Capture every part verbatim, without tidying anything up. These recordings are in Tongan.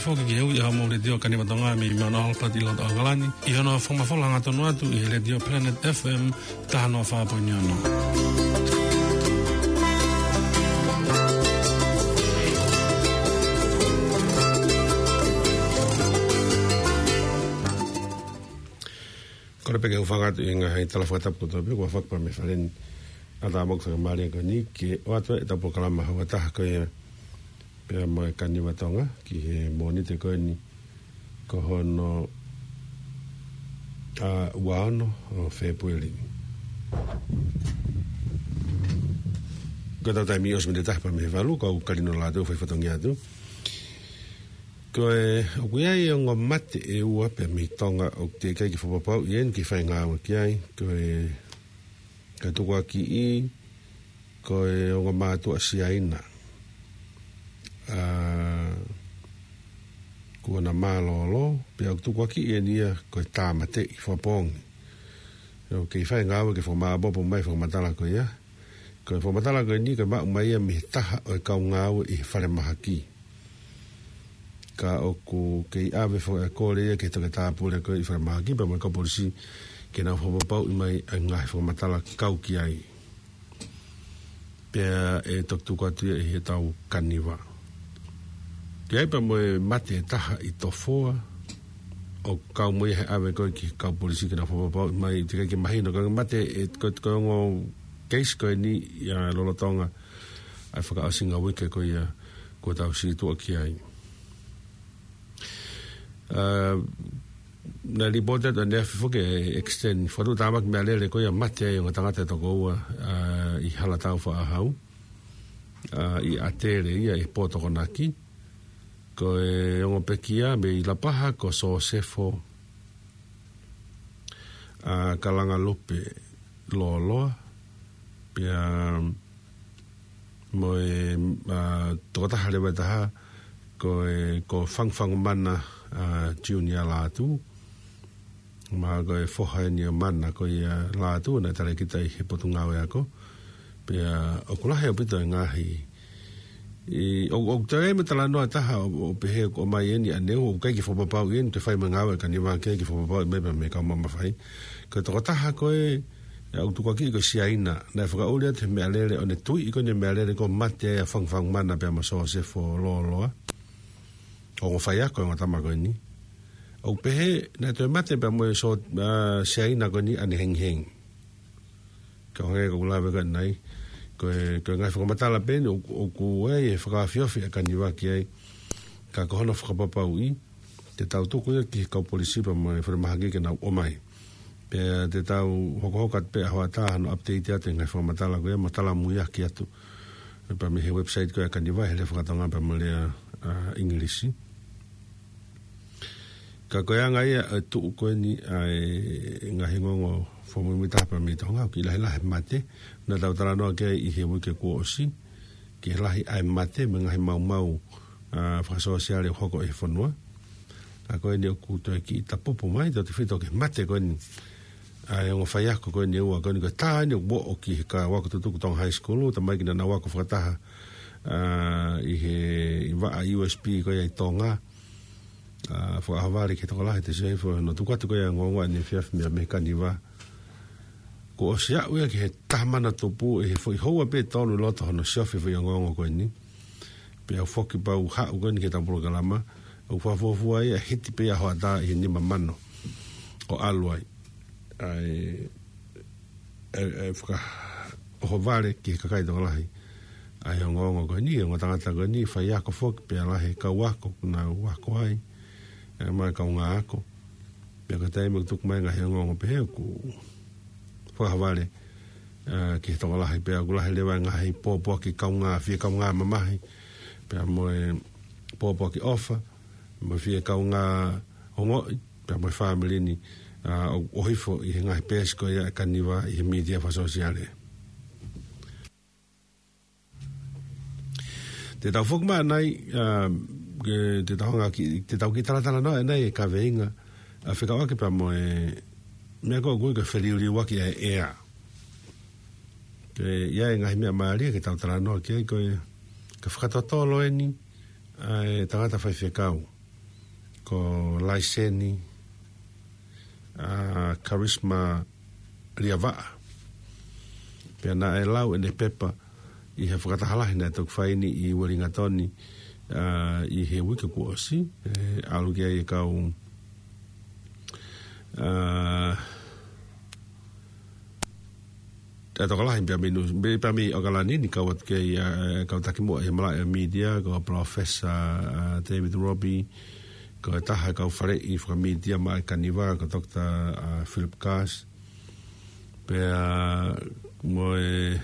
Foki ki he ui ʻa Mou Letiō Kaniva Tonga mei Mount Albert ʻi loto ʻAokalani, ʻi hono fakamafola hangatonu atu ʻi he Letiō Planet F M taha noa fā poini ono. Kole pē ke u hūfanga atu ʻi he ngaahi tala fakatapu kotoa pē kuo fakapā mei he fale ni. ʻA tā moku fakamālie ko eni ke ʻoatu ʻetau polokalama houa taha ko ia pea mo e Kaniva Tonga ki he Mōnite ko eni ko hono, ʻa, ua ono ʻo Fēpueli. Ko ʻetau taimi ʻosi miniti ʻe taha pē mei he valu, kau Kalino Lātū fai fatongia atu. Ko e, ʻoku ʻi ai e ongo mate ʻe ua pē mei Tonga ʻoku teʻeki ai ke fakapapauʻi ʻe niʻihi e ngāue ki ai. Ko e, ko e tukuakiʻi, ko e ongo mātuʻa Siaina. ʻA, kuo na mālōlō, pea ʻoku tukuakiʻi ʻeni ia ko e tāmateʻi fakapoongi. ʻOku kei fai e ngāue ke fakamāʻopoʻopo mai e fakamatala ko ia. Ko e fakamatala ko eni ko e maʻu mai ia mei he taha ʻo e kau ngāue ʻi he falemahaki. Ka ʻoku kei ʻave foki e kole ia ki he toketā pule ko ē ʻi falemahaki pea mo e kau polisi ke nau fakapapauʻi mai e ngaahi fakamatala kau ki ai. Pea ʻe toki tuku atu ia ʻi heʻetau Kaniva. Ki ai pea mo e mate ʻe taha ʻi Tofoa, ʻoku kau mo ia he ʻave ko ē ki he kau polisi ke nau fakapapauʻi mai, teʻeki ai ke mahino, ko e mate ʻe, ko, ko e ongo case ko eni ia lolotonga ʻa e fakaʻosinga uike ko ia kuo tau situʻa ki ai. ʻA, naʻe lipooti atu ʻaneafi foki e accident, fakatuʻutāmaki meʻalele ko ia mate ai e ongo tangata ʻe toko ua, ʻa, ʻi Halatau Faʻahau, ʻa, ʻi ʻAtele ia ʻi he pō Tokonaki. Ko e ongo pekia mei Lapaha ko Sosefo, ʻa, Kalangalupe Loloa, pea mo e, ʻa, tokotaha leva ʻe taha, ko e, ko Fangufangumana, ʻa, Junior Lātū, mo e foha ʻeni ʻo Mana ko ia Lātū, naʻe talēkita ʻi he Potungāue Ako. Pea ʻoku lahi ʻaupito e ngaahi, ʻi, ʻo, ʻoku toe ʻi ai mo e talanoa ʻe taha ʻo, ʻo pehē ʻoku ʻomai ʻeni ʻaneuhu, ʻoku ʻikai ke fakapapauʻi ʻeni, toe fai mai e ngāue ʻa e Kaniva ki ai ke fakapapauʻi mai pea mei he kau maʻu mafai. Ko e tokotaha ko ē, ʻa, ʻoku tukuakiʻi ko Siaina, naʻe fakaʻuli atu he meʻalele ʻo ne tuiʻi ko eni e meʻalele ko e mate ai ʻa Fangufangumana pea mo Sosefo Loloa. Ongo faiako e ongo tama ko eni. ʻOku pehē naʻe toe mate pea mo e so, ʻa, Siaina ko eni ʻanehengihengi. Ka ʻoku hangē ko ʻeku lave ko ē ʻanenai, ko e, ko e ngaahi fakamatala pē ʻeni ʻoku, ʻoku ʻi ai e fakaofiofi ʻa e Kaniva ki ai. Ka ko hono fakapapauʻi, te tau tuku ia ki he kau polisi pea mo e falemahaki ke nau ʻomai. Pea te tau hokohoko atu pē ʻa hoʻatā hono update atu e ngaahi fakamatala ko ia mo talamuiaki atu pea mei he website ko ia ʻa e Kaniva he lea fakatonga pea mo e lea, ʻa, ʻIngilisi. Ka ko e anga ia ʻa e tuʻu ko eni ʻa e ngaahi ongoongo fakamuimuitaha pea mei Tonga, ʻoku kei lahilahi e mate. Naʻa tau talanoa ki ai ʻi he uike kuo ʻosi, kei lahi ʻa e mate mei he ngaahi maumau, ʻa, fakasōsiale ʻoku hoko ʻi he fonua. Ka ko eni ʻoku toe kiʻi tapupu mai, tautefito ki he mate ko eni ʻa e ongo faiako ko eni ʻe ua ko eni, ko e taha eni ʻoku ō ki he kau ako tutuku Tonga High School, tamaiki naʻa nau ako fakataha, ʻa, ʻi he, ʻi he vaʻa U S P ko ia ʻi Tonga. ʻA, fakaʻohovale ki he tokolahi ʻa e T C F, ʻo ne tuku atu ko ia e ongoongo ʻaneefiafi mei, mei he Kaniva. Kuo ʻosi aʻu ia ki he taha mano tupu ʻi he foʻi houa pē ʻe tolu ʻi loto hono siofi e foʻi ongoongo ko eni. Pea u foki pea u haʻu ko eni ki heʻetau polokalama, ʻoku fakafuofua ia ʻe hiti pē ia hoʻatā ʻi he nima mano ʻo ʻalu ai. ʻA e, ʻe, ʻe fakaʻohovale ki he kakai tokolahi ʻa e ongoongo ko eni, ongo tangata ko eni, faiako foki pea lahi e kau ako naʻa nau ako ai, ʻa e mo e kaungā ako. Pea ko e taimi ʻoku tuku mai e ngaahi ongoongo pehē ʻoku fakaʻohovale, ʻa, ki he tokolahi pea ʻoku lahi leva e ngaahi pōpoaki kaungā, fie kaungā mamahi, pea mo e pōpoaki ʻofa, mo e fie kaungā ongoʻi, pea mo e fāmili ni, ʻa, ʻo, ʻo hifo ʻi he ngaahi peesi ko ia ʻa e Kaniva ʻi he mītia fakasōsiale. Te tau foki mai ʻanenai, ʻa, ke, te tau hanga ki, te tau kiʻi talatalanoa ʻanenai e kaveinga, ʻa, fekauʻaki pea mo e meʻa ko ē ʻoku ui ko e feliuliuaki ʻa e ʻea. Ke ʻi ai e ngaahi meʻa mālie ke tau talanoa ki ai ko e, ko e fakatotolo eni ʻa e tangata faifekau. ko Laiseni, ʻa, Karisma Liavaʻa. Pea naʻe lau ʻene pepa ʻi he fakataha lahi naʻe toki fai ni ʻi Uelingatoni, ʻa, ʻi he uike kuo ʻosi, ʻe, ʻalu ki ai e kau, ʻa, ʻe tokolahi pea mei Nu-, pea mei ʻAokalani ni, kau atu ki ai, ʻa, kau taki muʻa ʻi he malaʻe mītia, ko Professor, ʻa, David Robbie, ko e taha kau faleʻi fakamītia maʻa e Kaniva, ko Doctor, ʻa, Philip Gass. Pea mo e,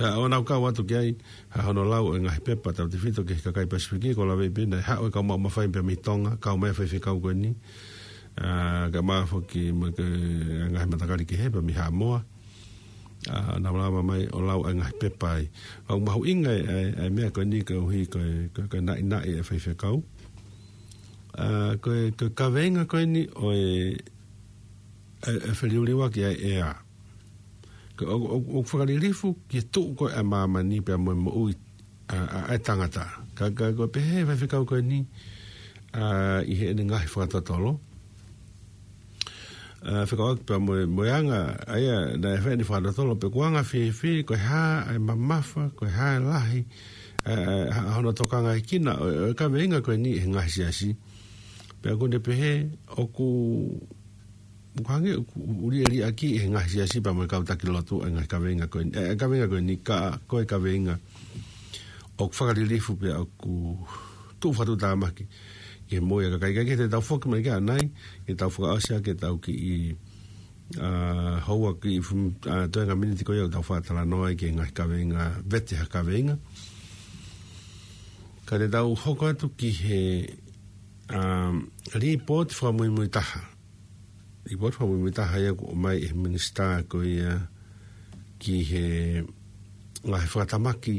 ʻa, ʻo nau kau atu ki ai, ʻa, hono lau e ngaahi pepa tautefito ki he kakai Pasifiki, ko e lave pē naʻe haʻu e kau maʻu mafai pea mei Tonga, kau mai faifekau ko eni, ʻa, kae ʻumaʻā foki mo e ngaahi matakali kehe pea mei Haʻamoa. ʻA, nau lava mai ʻo lau e ngaahi pepa ai. ʻOku mahuʻinga e, e, e meʻa ko eni koeʻuhi ko e, ko e, ko e naʻinaʻi e faifekau. ʻA, ko e, ko e kaveinga ko eni ʻo e, e, e feliuliuaki ʻa e ʻea. Ko e, ʻo, ʻo, ʻo fakalilifu ki he tuʻu ko ē ʻa māmani pea mo e moʻui ʻa, ʻa, ʻa e tangata. Ka, ka, ko e pehē faifekau ko eni, ʻa, ʻi heʻene ngaahi fakatotolo. ʻA, fekauʻaki pea mo e, mo e anga, ʻa ia, naʻe fai ʻene fakatotolo pe ko e anga fēfē, ko e hā, ʻa e mamafa, ko e hā e lahi, ʻa, ʻa, ʻa hono tokangaekina, ʻo, ʻo e kaveinga ko eni he ngaahi siasi. Pea ʻoku ne pehē, ʻoku, ʻoku hangē, ʻoku ʻuli ʻe liʻaki he ngaahi siasi pea mo e kau taki lotu, e ngaahi kaveinga ko eni, e, e kaveinga ko eni, ka, ko e kaveinga ʻoku fakalilifu pea ʻoku tuʻu fakatuʻutāmaki ki he moʻui ʻa e kakai. Ka ke te tau foki mai ki ai ʻanai, ke tau fakaʻosi ʻaki ʻetau kiʻi, ʻa, houa kiʻi fum-, ʻa, toenga miniti ko ia ʻoku tau fakatalanoa ai ki he ngaahi kaveinga, vete ha kaveinga. Ka te tau hoko atu ki he, ʻa, lipooti fakamuimui taha. Lipooti fakamuimui taha ia kuo ʻomai ʻe he minisitā ko ia ki he ngaahi fakatamaki,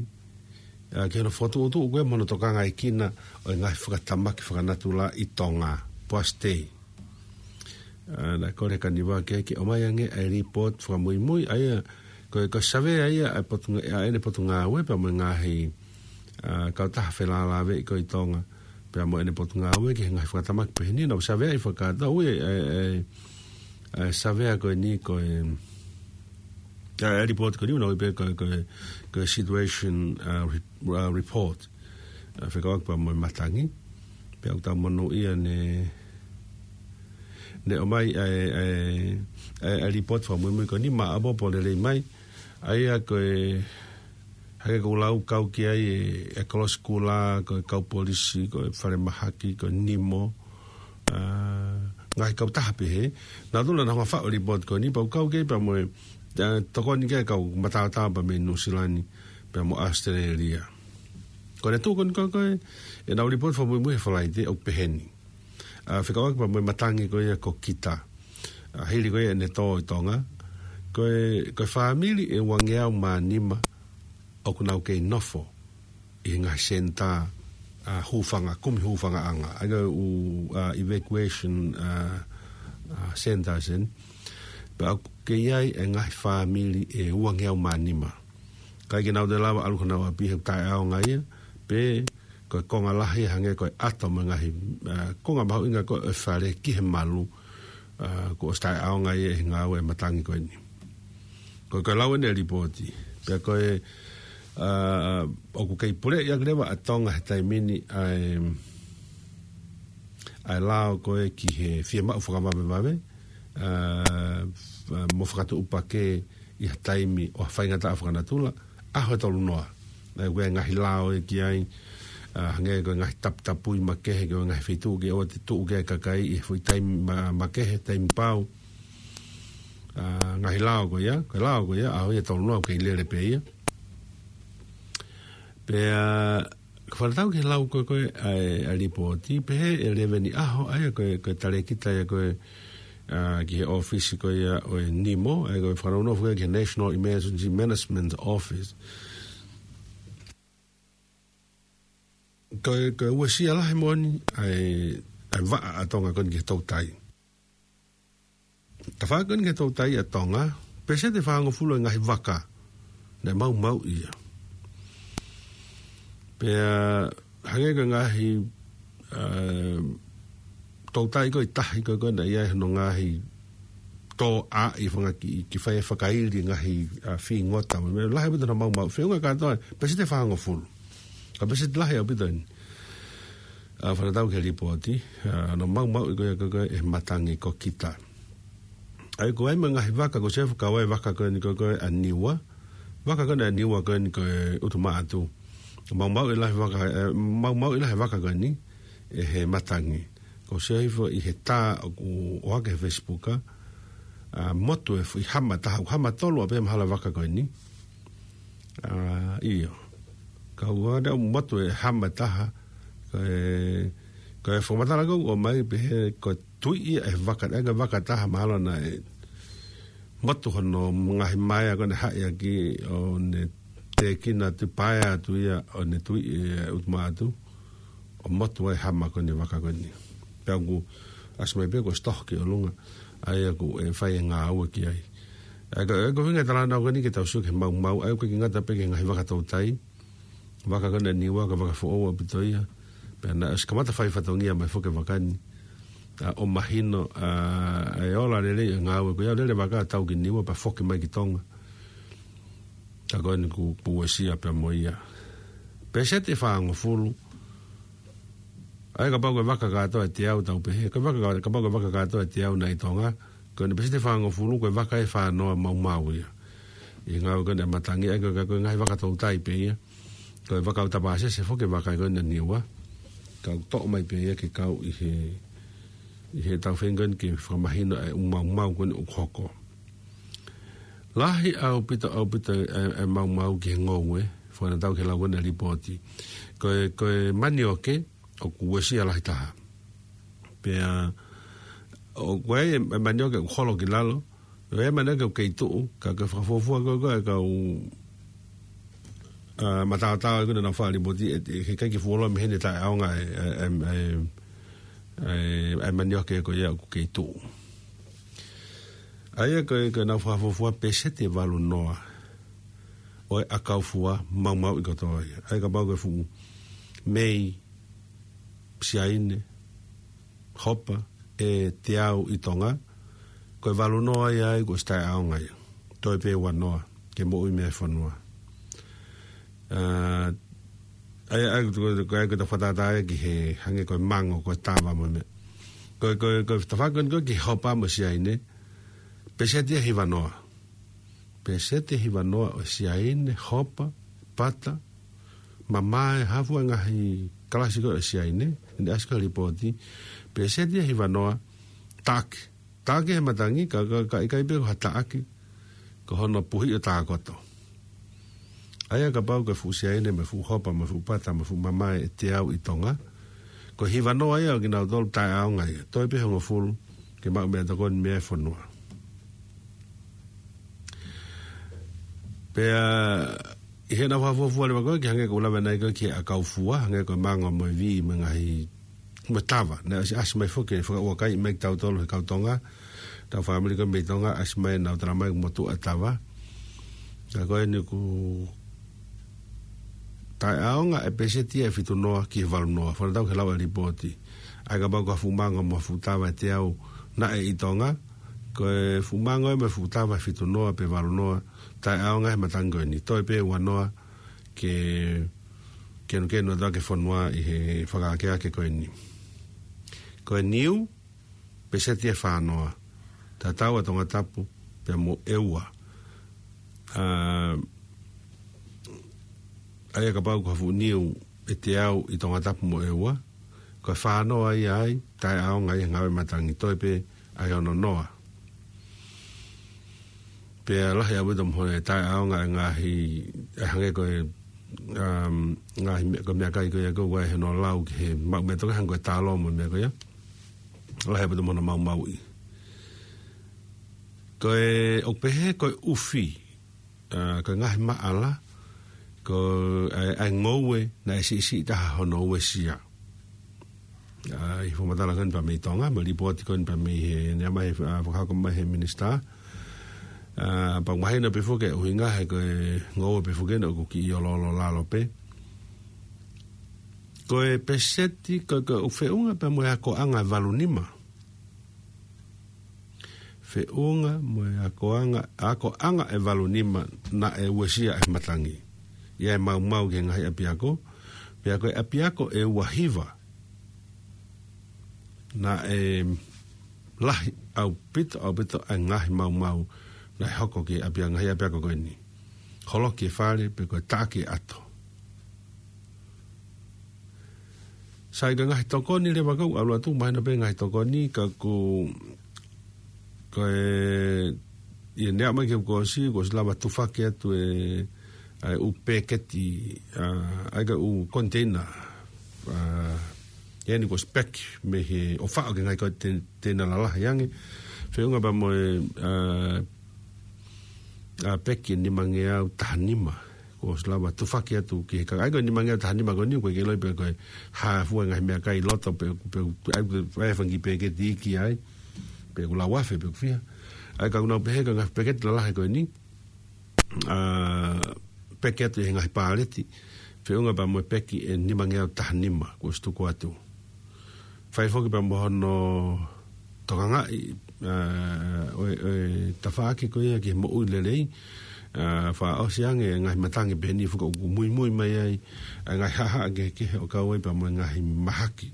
ʻa, ki hono fokotuʻutuʻu ko ē mo hono tokangaekina ʻo e ngaahi fakatamaki fakanatula ʻi Tonga, POASTEI. ʻA, naʻe kole ʻe Kaniva ke, ke ʻomai ange ʻa e lipooti fakamuimui, ʻa ia, ko e, ko e savea ia ʻa e potunga-, ʻa ʻene potungāue pea mo e ngaahi, ʻa, kautaha felālāveʻi ko ē ʻi Tonga, pea mo ʻene potungāue ki he ngaahi fakatamaki pehē ni, naʻa nau saveaʻi fakataha ʻa e, ʻa e, ʻa e savea ko eni ko e, ʻa e lipooti ko eni, naʻe ui pē ko e, ko e, ko e situation, ʻa, re-, ʻa, report. ʻA, fekauʻaki pea mo e matangi. Pea ʻoku tau monūʻia ne, ne ʻomai ʻa e, ʻa e, ʻa e, ʻa e lipooti fakamuimui ko eni, maʻopoʻopo lelei mai. ʻA ia ko e, hangē ko ʻeku lau, kau ki ai e, e kolosi kula, ko e kau polisi, ko e falemahaki, ko e nimo, ʻa, ngaahi kautaha pehē. Naʻa nau tula naʻa nau hanga ʻo faʻu e lipooti ko eni, pea u kau ki ai pea mo e, ʻa, tokoni ki ai e kau mataotao pea mei Nuʻusila ni, pea mo ʻAositelēlia. Ko ʻene tuʻu ko eni ko e, ko e, ʻenau lipooti fakamuimui he Falaite ʻoku pehē ni. ʻA, fekauʻaki pea mo e matangi ko ia ko Kita. ʻA, hili ko ia ʻene tō ʻi Tonga. Ko e, ko e fāmili ʻe uangeau mā nima ʻoku nau kei nofo ʻi he ngaahi senitā, ʻa, hūfanga, kumi hūfangaʻanga. ʻA ia ko e ʻū, ʻa, evacuation, ʻa, ʻa, centers eni. Pea ʻoku kei ʻi ai e ngaahi fāmili ʻe uangeau mā nima. ʻIkai ke nau toe lava ʻalu ki honau ʻapi he taʻeʻaonga ia, pe ko e konga lahi hangē ko e ʻato mo e ngaahi, ʻa, konga mahuʻinga ko ē ʻo e fale ki he malu, ʻa, kuo ʻosi taʻeʻaonga ia ʻi he ngāue ʻa e matangi ko eni. Ko e, ko e lau eni e lipooti. Pea ko e, ʻa, ʻoku kei puleʻi ʻaki leva ʻa Tonga he taimi ni ʻa e, ʻa e lao ko ē ki he fiemaʻu fakavavevave, ʻa, ʻa, mo fakatuʻupakē ʻi ha taimi ʻo ha faingataʻa fakanatula, ʻaho ʻe tolu noa. Naʻe ʻi ai e ngaahi lao ʻe ki ai, ʻa, hangē ko e ngaahi taputapui makehe ki he ngaahi feituʻu ke ʻoua te tuʻu ki ai e kakai ʻi he foʻi taimi ma-, makehe, taimi pau. ʻA, ngaahi lao ko ia, ko e lao ko ia, ʻaho ia ʻe tolu noa ʻoku kei lele pē ia. Pea, ka fakatatau ki he lau ko ē ko ē ʻa e, ʻa e lipooti, pehē ʻe Leveni ʻAho, ʻa ia ko e, ko e talēkita ia ko ē, ʻa, ki he ʻōfisi ko ia ʻo e nimo, ʻa ia ko e fakanounou foki ki he National Emergency Management Office. Ko e, ko e uesia lahi moʻoni ʻa e, ʻa e vaʻa ʻa Tonga ko eni ki he toutai. Tafaʻaki ko eni ki he toutai ʻa Tonga, pēseti ʻe fāngofulu e ngaahi vaka naʻe maumauʻi ia. Pea hangē ko e ngaahi, ʻa, toutai ko e tahi ko e ko e naʻe ʻi ai hono ngaahi tō ʻa e fanga ki, ki fai e fakaili ngaahi, a, fīngota. Mo e lahi ʻaupito hono maumau. Feʻunga kātoa, peseti ʻe fāngofulu. Ka peseti lahi ʻaupito eni. A, fakatatau ki he lipooti, a, hono maumauʻi ko ia ko e ko e ʻe he matangi ko kita. ʻA ia ko e ʻai mo e ngaahi vaka ko Sefu kau ai vaka ko eni ko e ko e ʻa Niua. Vaka ko eni ʻa Niua ko eni ko e ʻUtumaʻatu. Maumauʻi lahi vaka, e, maumauʻi lahi vaka ko eni ʻe he matangi. Ko Sefu ʻi he tā ʻoku ʻohake he Facebook, a, motu e fu-, ʻi hama taha, ʻoku hama tolu ʻapē mahalo vaka ko eni. A, ʻio. Ka ʻoku ʻa e motu e hama taha, ko e, ko e fakamatala ko ʻoku ʻomai pehē ko e tuiʻi ʻe he vaka, ʻa e vaka taha mahalo naʻe motu hono ngaahi maea ko ʻene haʻi ʻaki ʻo ne tēkina atu paea atu ia ʻo ne tuiʻi e ʻUtumaʻatu ʻo motu ai hama ko eni vaka ko eni. Pea ʻoku ʻasi mai pē ko e sitoki ʻolunga, ʻa ia ʻoku ʻe fai e ngāue ki ai. ʻA ia ko e, ko e ʻuhinga e talanoa ko eni ke tau sio ki he maumau, ʻa ia ʻoku ʻikai ke ngata pē ki he ngaahi vaka toutai, vaka ko eni ʻa Niua ko e vaka foʻou ʻaupito ia. Pea naʻe ʻosi kamata fai fatongia mai foki e vaka ni. A, ʻo mahino, a, e ola lelei e ngāue ko ia, lele vaka tau ki Niua pea foki mai ki Tonga. Ka ko eni kuo, kuo uesia pea mo ia. Peseti ʻe fāngofulu. ʻA ia kapau ko e vaka kātoa ʻe teau tau pehē. Ko e vaka, kapau ko e vaka kātoa ʻe teau naʻe ʻi Tonga. Ko eni peseti ʻe fāngofulu ko e vaka ʻe fānoa maumau ia. ʻI he ngāue ko eni ʻa e matangi, ʻa ia ko e, ko e ngaahi vaka toutai pē ia. Ko e vaka ʻoku tapasese foki e vaka ko eni ʻa Niua. Ka ʻoku toʻo mai pē ia ke kau ʻi he, ʻi he tau feinga ko eni ke fakamahino e ʻū maumau ko eni ʻoku hoko. Lahi ʻaupito, ʻaupito e, e maumau ki he ngoue, fakatatau ki he lau ko eni ʻa e lipooti. Ko e, ko e manioke, ʻoku uesia lahi taha. Pea, ʻoku ʻi ai e, e manioke ʻoku holo ki lalo, ʻi ai e manioke ʻoku kei tuʻu, ka ko e fakafuofua ko e, ko e kau, a, mataotao ʻoku nau fai lipooti, ʻe, ʻe, he ʻikai ke fuoloa mei heni taʻeʻaonga e, e, e, e, e, e manioke ko ia ʻoku kei tuʻu. ʻA ia ko e, ko e nau fakafuofua peseti ʻe valu noa ʻo e ʻakau fua maumauʻi kotoa ia. ʻA ia kapau ko e fuʻu mei, siaine, hopa, ʻe teau ʻi Tonga, ko e valu noa ia ai kuo ʻosi taʻeʻaonga ia. Toe pē ua noa, ke moʻui mei ai e fonua. A, ʻa ia, ʻa ia, ko, ko, ko, ko e fakatātā ia ki he hangē ko e mango, ko e tava mo e meʻa. Ko, ko, ko e tafaʻaki ko eni ko e ki he hopa mo e siaine, peseti ʻe hiva noa. Peseti ʻe hiva noa ʻo e siaine, hopa, pata, mamae, hā fua e ngaahi kalasi ko ē ʻo e siaine, ʻi he ʻasi ko ē he lipooti, peseti ʻe hiva noa, taʻaki. Taʻaki he matangi, ka, ka, ka ʻikai pē ko ha taʻaki, ko hono puhi ʻo tākoto. ʻA ia kapau ko e fuʻu siaine, mo e fuʻu hopa, mo e fuʻu pata, mo e fuʻu mamae ʻe teau ʻi Tonga, ko e hiva noa ia ʻo kinautolu taʻeʻaonga ia. Toe pē hongofulu, ke maʻu meʻatokoni mei ai e fonua. Pea, ʻi heʻenau fakafuofua leva ko ē, ki he hangē ko ʻeku lave ʻanenai ko ē ki he ʻakau fua, hangē ko e mango mo e vī mo e ngaahi, mo e tava. Naʻe ʻasi, ʻasi mai foki, fakaʻuakai mai kia tautolu he kau Tonga, tau fāmili ko ē mei Tonga, ʻasi mai ʻenau tala mai ʻoku motuʻa e tava. Ka ko eni kuo taʻeʻaonga e peseti ʻe fitu noa ki he valu noa. Fakatatau ki he lau ʻa e lipooti. ʻA ia kapau ko e fuʻu mango mo e fuʻu tava ʻe teau naʻe ʻi Tonga, ko e fuʻu mango mo e fuʻu tava ʻe fitu noa pe valu noa, taʻeʻaonga he matangi ko eni. Toe pē ua noa ke kenukenu atu ʻaki e fonua ʻi he fakaakeake ko eni. Ko e niu, peseti ʻe fā noa. Tatau ʻa Tongatapu pea mo ʻEua. A, ʻa ia kapau ko ha fuʻu niu ʻe teau ʻi Tongatapu mo ʻEua, ko e fā noa ia ai, taʻeʻaonga ia he ngāue matangi. Toe pē ʻa e ono noa. Pea lahi ʻaupito mo e taʻeʻaonga e ngaahi, ʻe hangē ko e, um, ngaahi meʻa, ko e meʻakai ko ia ko ē ʻoku ʻi ai hono lau ki he maʻu meʻatokoni hangē ko e talo mo e meʻa ko ia. Lahi ʻaupito mo hono maumauʻi. Ko e, ʻoku pehē ko e ʻufi, a, ko e ngaahi maʻala, ko e, ʻa e ngoue naʻe siʻisiʻi taha hono uesia. A, ʻi he fakamatala ko eni pea mei Tonga, mo e lipooti ko eni pea mei he, naʻe ʻomai he, a, fakahoko mai he minisitā. A, pea ʻoku mahino pē foki e ʻuhinga he ko e ngoue pē foki eni ʻoku kiʻi oloolo lalo pē. Ko e peseti, ko, ko e feʻunga pea mo e akoʻanga ʻe valu nima. Feʻunga mo e akoʻanga, akoʻanga ʻe valu nima naʻe uesia ʻe he matangi. ʻI ai e maumau ki he ngaahi ʻapiako, pea ko e ʻapiako ʻe ua hiva naʻe lahi ʻaupito, ʻaupito ʻa e ngaahi maumau naʻe hoko ki he ʻapia-, ngaahi ʻapiako ko eni. Holoki e fale, pe ko e taʻaki e ʻato. Sai, ka ngaahi tokoni leva, kau ʻalu atu, mahino pē ngaahi tokoni, ka ko, ko e, ʻi he neʻa mai ki he kuo ʻosi, kuo ʻosi lava tufaki atu e, ʻa e ʻū peketi, ʻa, ʻa e ka ʻū konteina, ʻa, ʻi heni kuo ʻosi peki mei he ʻo faʻo ki he ngaahi konteina lalahi ange. Feʻunga pea mo e, ʻa, ʻa, peki ʻe nimangeau taha nima. Kuo ʻosi lava tufaki atu ki he kakai. ʻA ia ko e nimangeau taha nima ko eni, ʻoku ʻikai ke ʻiloʻi pe ko e hā fua e ngaahi meʻakai ʻi loto pe, pe, pe, ʻa ia ko e fanga kiʻi peketi iiki ai. Pe ʻoku lau afe pe ʻoku fiha. ʻA ia ka ʻoku nau pehē ko e ngaahi peketi lalahi ko eni, ʻa, peki atu ʻi he ngaahi pāleti. Feʻunga pea mo e peki ʻe nimangeau taha nima, kuo ʻosi tuku atu. Fai foki pea mo hono tokangaʻi, ʻa, ʻo e, ʻo e tafaʻaki ko ia ki he moʻui lelei, ʻa, fakaʻosi ange e ngaahi matangi pehē ni foki ʻoku muimui mai ai ʻa e ngaahi haʻahaʻa kehekehe ʻo kau ai pea mo e ngaahi mahaki.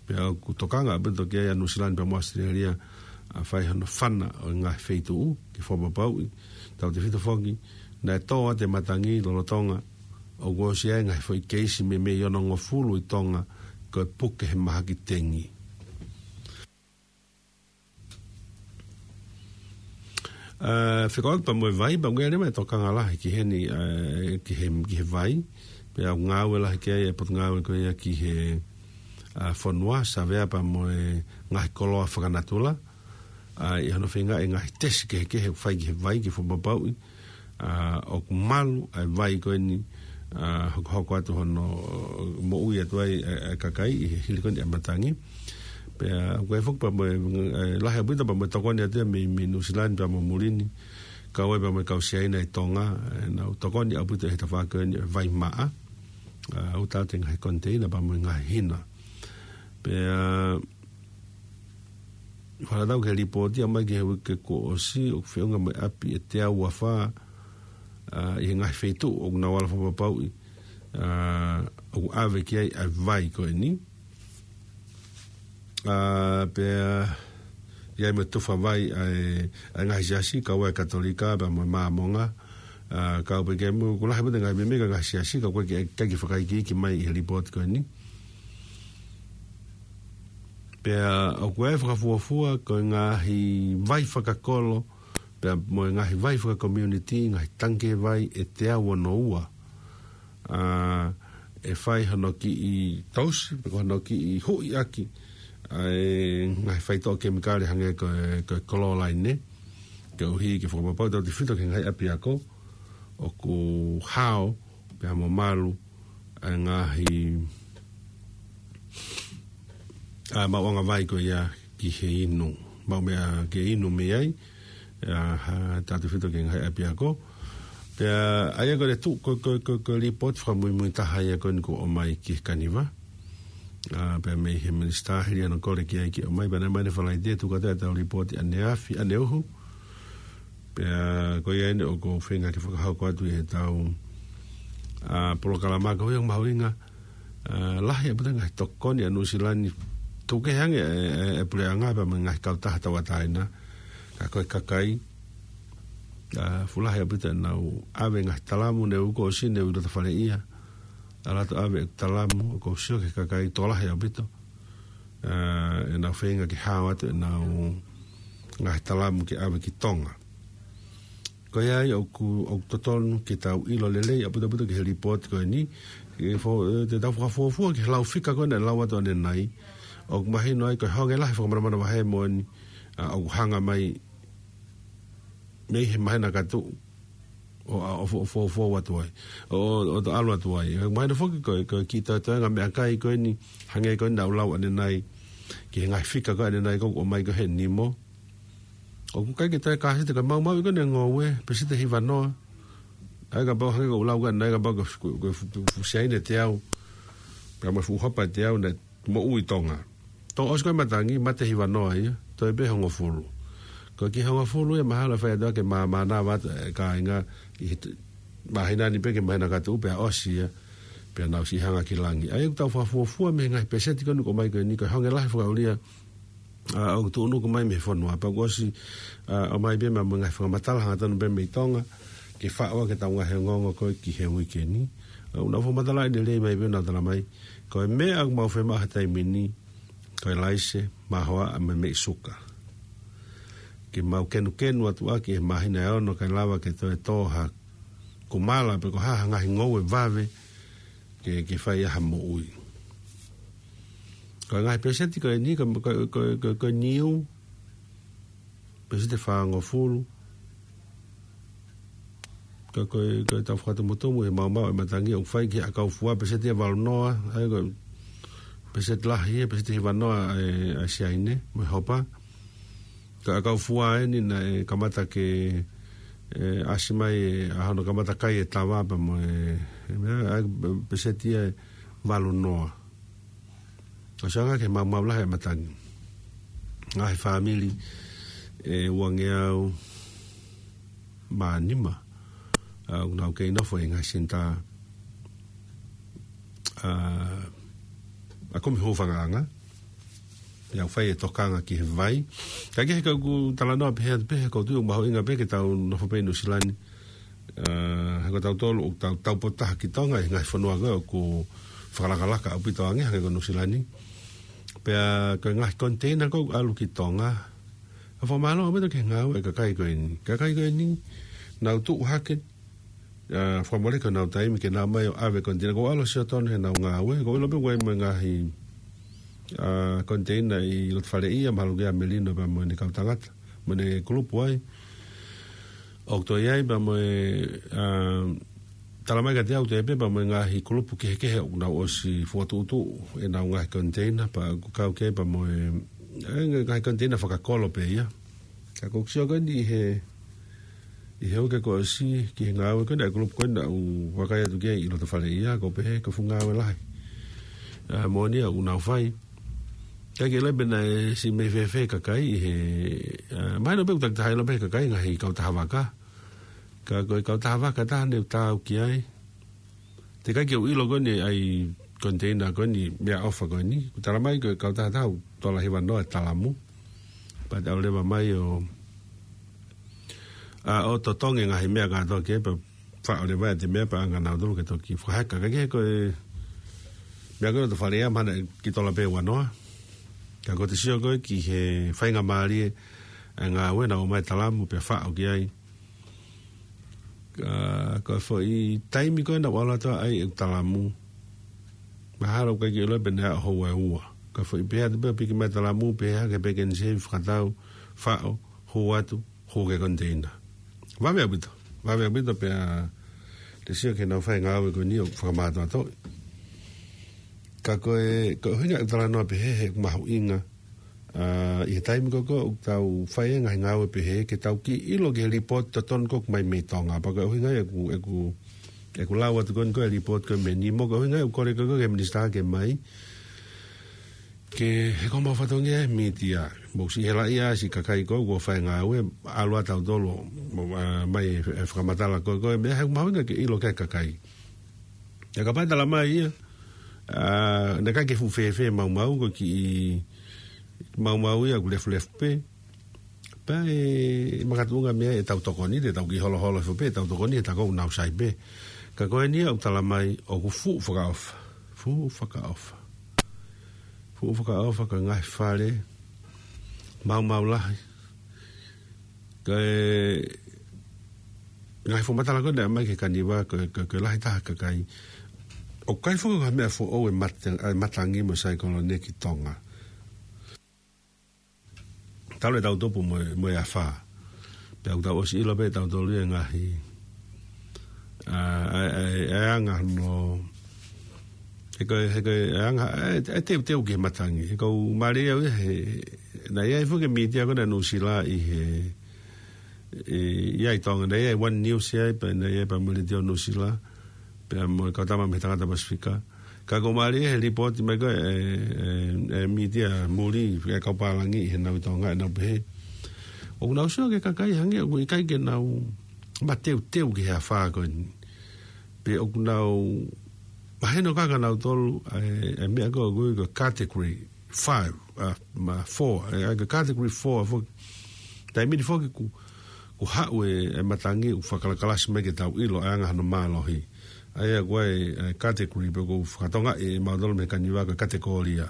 Pea ʻoku tokanga ʻaupito ki ai ʻa Nuʻusila ni pea mo ʻAositelēlia, ʻa, fai hono fana ʻo e ngaahi feituʻu ke fakapapauʻi, tautefito foki, naʻe tō atu e matangi lolotonga ʻoku ʻosi ʻi ai e ngaahi foʻi keisi meimei onongofulu ʻi Tonga ko e puke he mahaki tengi. ʻA, fekauʻaki pea mo e vai, pea ʻoku ʻi ai leva e tokanga lahi ki heni, ʻa, ki he, ki he vai, pea ʻoku ngāue lahi ki ai e potungāue ko ia ki he, ʻa, fonua, savea pea mo e ngaahi koloa fakanatula, ʻa, ʻi hono feingaʻi e ngaahi tesi kehekehe ʻoku fai ki he vai ke fakapapauʻi, ʻa, ʻoku malu ʻa e vai ko eni, ʻa, hokohoko atu hono moʻui atu ai e, e kakai ʻi he hili ko eni e matangi. Pea ʻoku ʻi ai foki pea mo e, e, lahi ʻaupito pea mo e tokoni atu ia mei, mei Nuʻusila ni pea mo muli ni, kau ai pea mo e kau Siaina ʻi Tonga, ʻenau tokoni ʻaupito he tafaʻaki ko eni e vai maʻa, ʻa, ʻoku tau te ngaahi konteina pea mo e ngaahi hina. Pea, ʻa, fakatatau ki he lipooti ʻomai ki he uike kuo ʻosi, ʻoku feʻunga mo e ʻapi ʻe teau ua fā, ʻa, ʻi he ngaahi feituʻu ʻoku nau ala fakapapauʻi, ʻa, ʻoku ʻave ki ai ʻa e vai ko eni. ʻA, pea, ʻi ai mo e tufa vai ʻa e, ʻa e ngaahi siasi, kau ai e Katolika, pea mo e Māmonga, ʻa, kau pē ki ai mo, ʻoku lahi ʻaupito e ngaahi meimei ngaahi siasi, ka ʻoku ʻikai ke, ʻikai ke fakaikiiki mai ʻi he lipooti ko eni. Pea ʻoku ʻi ai e fakafuofua ko e ngaahi vai fakakolo, pea mo e ngaahi vai fakakomiunitī, ngaahi tangikē vai ʻe teau ono ua. ʻA, ʻe fai hono kiʻi tausi, pe ko hono kiʻi huʻi ʻaki ʻa e ngaahi faitoʻo kemikale hangē ko e, ko e kololaine, koeʻuhi ke fakapapau tautefito ki he ngaahi ʻapiako ʻoku hao, pea mo malu, ʻa e ngaahi, ʻa, maʻuʻanga vai ko ia ki he inu. Maʻu meʻa ke inu mei ai, ʻa, ha, tautefito ki he ngaahi ʻapiako. Pea, ʻa ia ko e tu-, ko, ko, ko, ko e lipooti fakamuimui taha ia ko eni kuo ʻomai ki he Kaniva. ʻA, pea mei he minisitā hili ʻa hono kole ki ai ke ʻomai, pea naʻe ʻomai ʻanefalaite te u tuku atu ʻetau lipooti ʻaneafi, ʻaneuhu. Pea ko ia eni ʻoku ou feinga ke fakahoko atu ʻi heʻetau, ʻa, polokalama ko ia ʻoku mahuʻinga, ʻa, lahi ʻaupito e ngaahi tokoni ʻa Nuʻusila ni, tuku kehe ange e, e, e puleʻanga pea mo e ngaahi kautaha tauʻatāina. Ka ko e kakai, ʻa, fuʻu lahi ʻaupito ʻenau ʻave e ngaahi talamu, ne u ko ʻosi ne u ʻi loto fale ia. ʻAlu atu ʻave e talamu, ʻoku ou sio ki he kakai tokolahi ʻaupito, ʻa, ʻenau feinga ke hao atu ʻenau ngaahi talamu ke ʻave ki Tonga. Ko ia ai ʻoku, ʻoku totonu ke tau ʻilo lelei ʻaupito ʻaupito ki he lipooti ko eni, ke fo-, ʻe, te tau fakafuofua ki he lau fika ko ena ʻe lau atu ʻanenai, ʻoku mahino ai ko e honge lahi fakamanamanavahē moʻoni, ʻa, ʻoku hanga mai mei he mahena ka tuʻu, ʻo, ʻa, ʻo fo-, fo-, fo atu ai, ʻo, ʻo, ʻo to ʻalu atu ai. ʻE, mahino foki ko e, ko e kiʻi toetoenga meʻakai ko eni, hangē ko ena ʻoku lau ʻanenai, ki he ngaahi fika ko ē ʻanenai ko ē ʻoku ʻomai ko ē he nimo. ʻOku ʻikai ke toe kāsite ka maumauʻi ko ena e ngoue, peseti ʻe hiva noa. ʻA ia kapau hangē ko ʻeku lau ko ena, ʻa ia kapau ko e fu-, ko e fu-, fu-, fuʻu Siaina ʻe teau, Pea mo e fuʻu hopa ʻe teau naʻe moʻui ʻi Tonga. Toki ʻosi ko ē matangi, mate hivanoa ia, toe pē hongofulu. Ko e kiʻi hongofulu ia mahalo ʻe fai atu ke māmānava atu e kāinga ʻi he t-, māhina ni pē ki he māhina ka tuʻu pea ʻosi ia, pea nau siʻi hanga ki langi. ʻA ia ʻoku tau fakafuofua mei he ngaahi peseti ko eni ʻoku ʻomai ko eni, ko e honge lahi fakaʻulia, ʻa, ʻoku tuʻunuku mai mei he fonua. Pea kuo ʻosi, ʻa, ʻomai pē mo e ngaahi fakamatala hangatonu pē mei Tonga, ke faʻo ʻaki ʻetau ngaahi ongoongo ko ē ki he uike ni. ʻA, ʻoku nau fakamatalaʻi lelei mai pē ʻo nau talamai, ko e meʻa ʻoku mau fiemaʻu he taimi ni, ko e laise, mahoaʻa mo e meʻi suka. Ke mau kenukenu atu ʻaki he māhina ʻe ono kae lava ke toe tō ha kumala pe ko ha, ha ngaahi ngoue vave ke, ke fai ai ha moʻui. Ko e ngaahi peseti ko eni, ko, ko, ko, ko, ko e niu, peseti ʻe fāngofulu. Ka ko e, ko e tau fakatumutumu he maumau e matangi ʻoku fai ki he ʻakau fua, peseti ʻe valunoa, ʻa ia ko e peseti lahi ia, peseti hivanoa ʻa e, ʻa e siaine mo e hopa. Ka ʻakau fua eni naʻe kamata ke, ʻe, ʻasi mai e, ʻa hono kamata kai e tava pea mo e, e meʻa, ʻa e peseti ʻe valunoa. ʻOsi anga ke maumau lahi e matangi. Ngaahi fāmili ʻe uangeau mā nima, ʻa, ʻoku nau kei nofo ʻi he ngaahi senitā, ʻa, ʻa kumi hūfangaʻanga. ʻIo, fai e tokanga ki he vai. Ka ke he kau ku talanoa pehē atu pē, he ʻoku ou tui ʻoku mahuʻinga pē ke tau nofo pē ʻi Nuʻusila ni. ʻA, he ko tautolu ʻoku tau, tau potaha ki Tonga, ʻi he ngaahi fonua ko ē ʻoku fakalakalaka ʻaupito ange, hangē ko Nuʻusila ni. Pea ko e ngaahi koniteina ko ē ʻoku ʻalu ki Tonga, ʻoku fakamālō ʻaupito ki he ngāue ʻa e kakai ko eni. Kakai ko eni, nau tuʻu hake, ʻa, fakamole ko ʻenau taimi ke nau ō mai ʻo ʻave koniteina. ʻOku ou ʻalu ʻo sio tonu heʻenau ngāue, ʻoku ou ʻilo pē ʻoku ʻi ai mo e ngaahi, ʻa, koniteina ʻi loto faleʻia, mahalo ko ia ʻa Melino pea mo ʻene kau tangata, mo ʻene kulupu ai. ʻOku toe ʻi ai pea mo e, ʻa, talamai kiate au toe pē pea mo e ngaahi kulupu kehekehe ʻoku nau ʻosi fokotuʻutuʻu ʻenau ngaahi koniteina, pea ʻoku kau ki ai pea mo e, ʻa e ngaahi koniteina fakakolo pē ia. Ka ʻoku ou sio ko eni ʻi he, ʻi he uike kuo ʻosi ki he ngāue ko eni ʻa e kulupu ko eni naʻa ku vakai atu ki ai ʻi loto faleʻia, ʻoku pehē ko e fuʻu ngāue lahi, ʻa, moʻoni ia ʻoku nau fai. Ka ke ʻilo pē naʻe siʻi meʻa fēfē e kakai ʻi he, ʻa, mahino pē ʻoku takitaha ʻilo pē ʻe he kakai ngaahi kautaha vaka. Ka ko e kautaha vaka taha naʻe u taau ki ai. Teʻeki ai ke u ʻilo ko eni ʻa e koniteina ko eni meʻaʻofa ko eni. Kuo talamai ko e kautaha taha ʻoku tola hivanoa e talamu. Pea te u lava mai ʻo, ʻa, ʻo totongi e ngaahi meʻa kātoa ki ai pea faʻo leva ʻe he meʻa pea ʻoange kia nautolu ke toki fakaheka. Ka ke ko e meʻa ko ē loto faleʻia mahalo naʻe kiʻi tola pē ua noa. Ka ko ʻete sio ko ē ki he faingamālie ʻa e ngāue naʻe ʻomai e talamu pea faʻo ki ai. Ka, ka foʻi taimi ko ē naʻa ku ʻalu atu ai ʻeku talamu, mahalo ʻoku ʻikai ke u ʻilo pe naʻe aʻu houa ʻe ua. Ka foʻi pehē atu pē ʻo piki mai e talamu, pehē hake pē ke ne sevi fakatau, faʻo, hū atu, hū ki he koniteina. Vave ʻaupito, vave ʻaupito pea te sio ki heʻenau fai e ngāue ko eni ʻoku fakamātoato. Ka ko e, ko e ʻuhinga e talanoa pehē he ʻoku mahuʻinga, ʻa, ʻi he taimi ko ē ʻoku tau fai e ngaahi ngāue pehē, ke tau kiʻi ʻilo ki he lipooti totonu ko ē ʻoku ʻomai mei Tonga. Pea ko e ʻuhinga ia ʻeku, ʻeku, ʻeku lau atu ko eni ko e lipooti ko ē mei Nimo, ko e ʻuhinga ia ʻeku kole ko ē ki he minisitā ke ʻomai. Ke, he ko homau fatongia e mītia. Mou siʻi helaʻia siʻi kakai ko ē ʻoku fai e ngāue, ʻalu atu tautolu, mo, ʻa, ʻomai e, e fakamatala ko ē, ko e meʻa he ʻoku mahuʻinga ke ʻilo ki ai e kakai. ʻIo kapau ʻe talamai ia, ʻa, naʻe ʻikai ke fuʻu fēfē e maumau, ko e kiʻi maumau ia ʻoku lefulefu pē. Pea ʻe makatuʻunga mei ai ʻetau tokoni, te tau kiʻi holoholo hifo pē ʻetau tokoni, he tā ko ē ʻoku nau sai pē. Ka ko eni ia ʻoku talamai ʻoku fuʻu fakaʻofa. Fuʻu fakaʻofa. Fuʻu fakaʻofa, ko e ngaahi fale maumau lahi. Ko e ngaahi fakamatala ko ē naʻe ʻomai ki he kaniva, ko e, ko e, ko e lahi taha e kakai. ʻOku ʻikai foki ko ha meʻa foʻou e mata-, e matangi mo e saikolone ki Tonga. Talu ʻetau tupu mo e, mo e afā. Pea ʻoku tau ʻosi ʻilo pē ʻe tautolu ia e ngaahi, ʻa, ʻa, ʻa, ʻa e anga hono, he ko e, he ko e anga, ʻa e, ʻa e teuteu ki he matangi. He ʻoku ou mālieʻia au ia he, naʻe ʻi ai foki e mītia ko ē ʻa Nuʻusila ʻi he, ʻi, ʻi ai ʻi Tonga, naʻe ʻi ai e One News ia, pea naʻe ʻi ai pea mo e Letiō Nuʻusila, pea mo e kau tama mei he Tangata Pasifika. Ka ko e mālie he lipooti mai ko ē ʻa e, ʻa e, ʻa e mītia muli, ʻa e kau pālangi ʻi he nau ʻi Tonga ʻenau pehē, ʻoku nau sio ki he kakai hangē ʻoku ʻikai ke nau mateuteu ki he afā ko eni. Pe ʻoku nau mahino ka ka nau tolu, ʻa e, ʻa e meʻa ko ē ʻoku ui ko e category five, ʻa, ma four, ʻa e, ʻa e category four, foki. Taimi ni foki ʻoku, ʻoku haʻu e, e matangi ʻoku fakakalakalasi mai ke tau ʻilo ʻa e anga hono mālohi. ʻA ia ko e, e category pe ʻoku fakatokangaʻi ʻe mautolu mei he kaniva ko e katekōlia.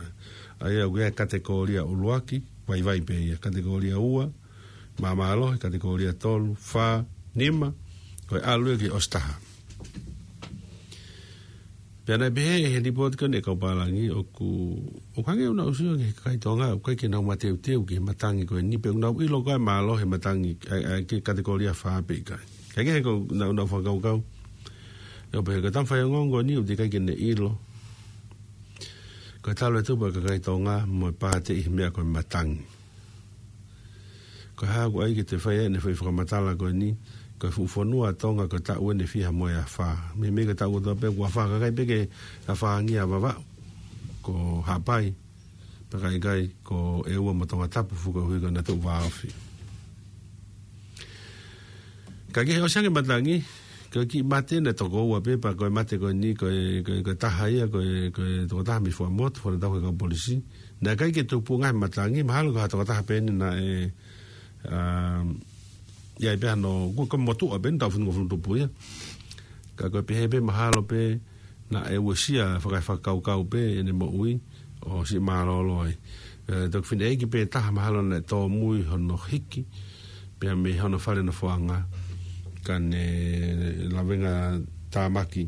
ʻA ia ko e katekōlia ʻuluaki, vaivai pē ia. Katekōlia ua, māmālohi, katekōlia tolu, fā, nima, ko e ʻalu ia ki he ʻosi taha. Pea naʻe pehē ʻe he lipooti ko eni ʻa e kau pālangi ʻoku, ʻoku hangē ʻoku nau sio ki he kakai Tonga, ʻoku ʻikai ke nau mateuteu ki he matangi ko eni pe ʻoku nau ʻilo ko ā e mālohi e matangi, ʻa e, ʻa e ki he katekōlia fā pe ʻikai. Kae kehe ko ʻenau, ʻenau fakakaukau. ʻE, ʻo pehē ko e tama faiongoongo ni ʻoku teʻeki ai ke ne ʻilo ko e talu e tupu ʻa e kakai Tonga mo e pātē ʻi he meʻa ko e matangi. Ko e hā ʻoku ʻai ke toe fai ai ʻene foʻi fakamatala ko eni, ko e fuʻu fonua ʻa Tonga ko e taʻu eni ʻe fiha mo e afā. Meimei ko e taʻu kotoa pē ʻoku afā, ka ʻikai pē ke afā angia Vavaʻu, ko Haʻapai, pea ka ʻikai ko ʻEua mo Tongatapu, fuʻu koeʻuhi ko ʻenau tuʻu vāofi. Ka ke ʻosi ange matangi, ko e kiʻi mate naʻe toko ua pē, pea ko e mate ko eni, ko e, ko e, ko e taha ia, ko e, ko e tokotaha mei Fuaʻamotu, fona tau he kau polisi. Naʻe ʻikai ke tupu ngaahi matangi, mahalo ko ha tokotaha pē eni naʻe, ʻa, ʻi ai pē hano, ko, ko e motuʻa pē eni, taʻu fitungofulu tupu ia. Ka ko e pehē pē mahalo pē, naʻe uesia fakaefakakaukau pē ʻene moʻui ʻo siʻi mālōlō ai. ʻE, toki fineʻeiki pē taha mahalo naʻe tōmui hono hiki, pea mei hono fale nofoʻanga, ka ne lavenga tāmaki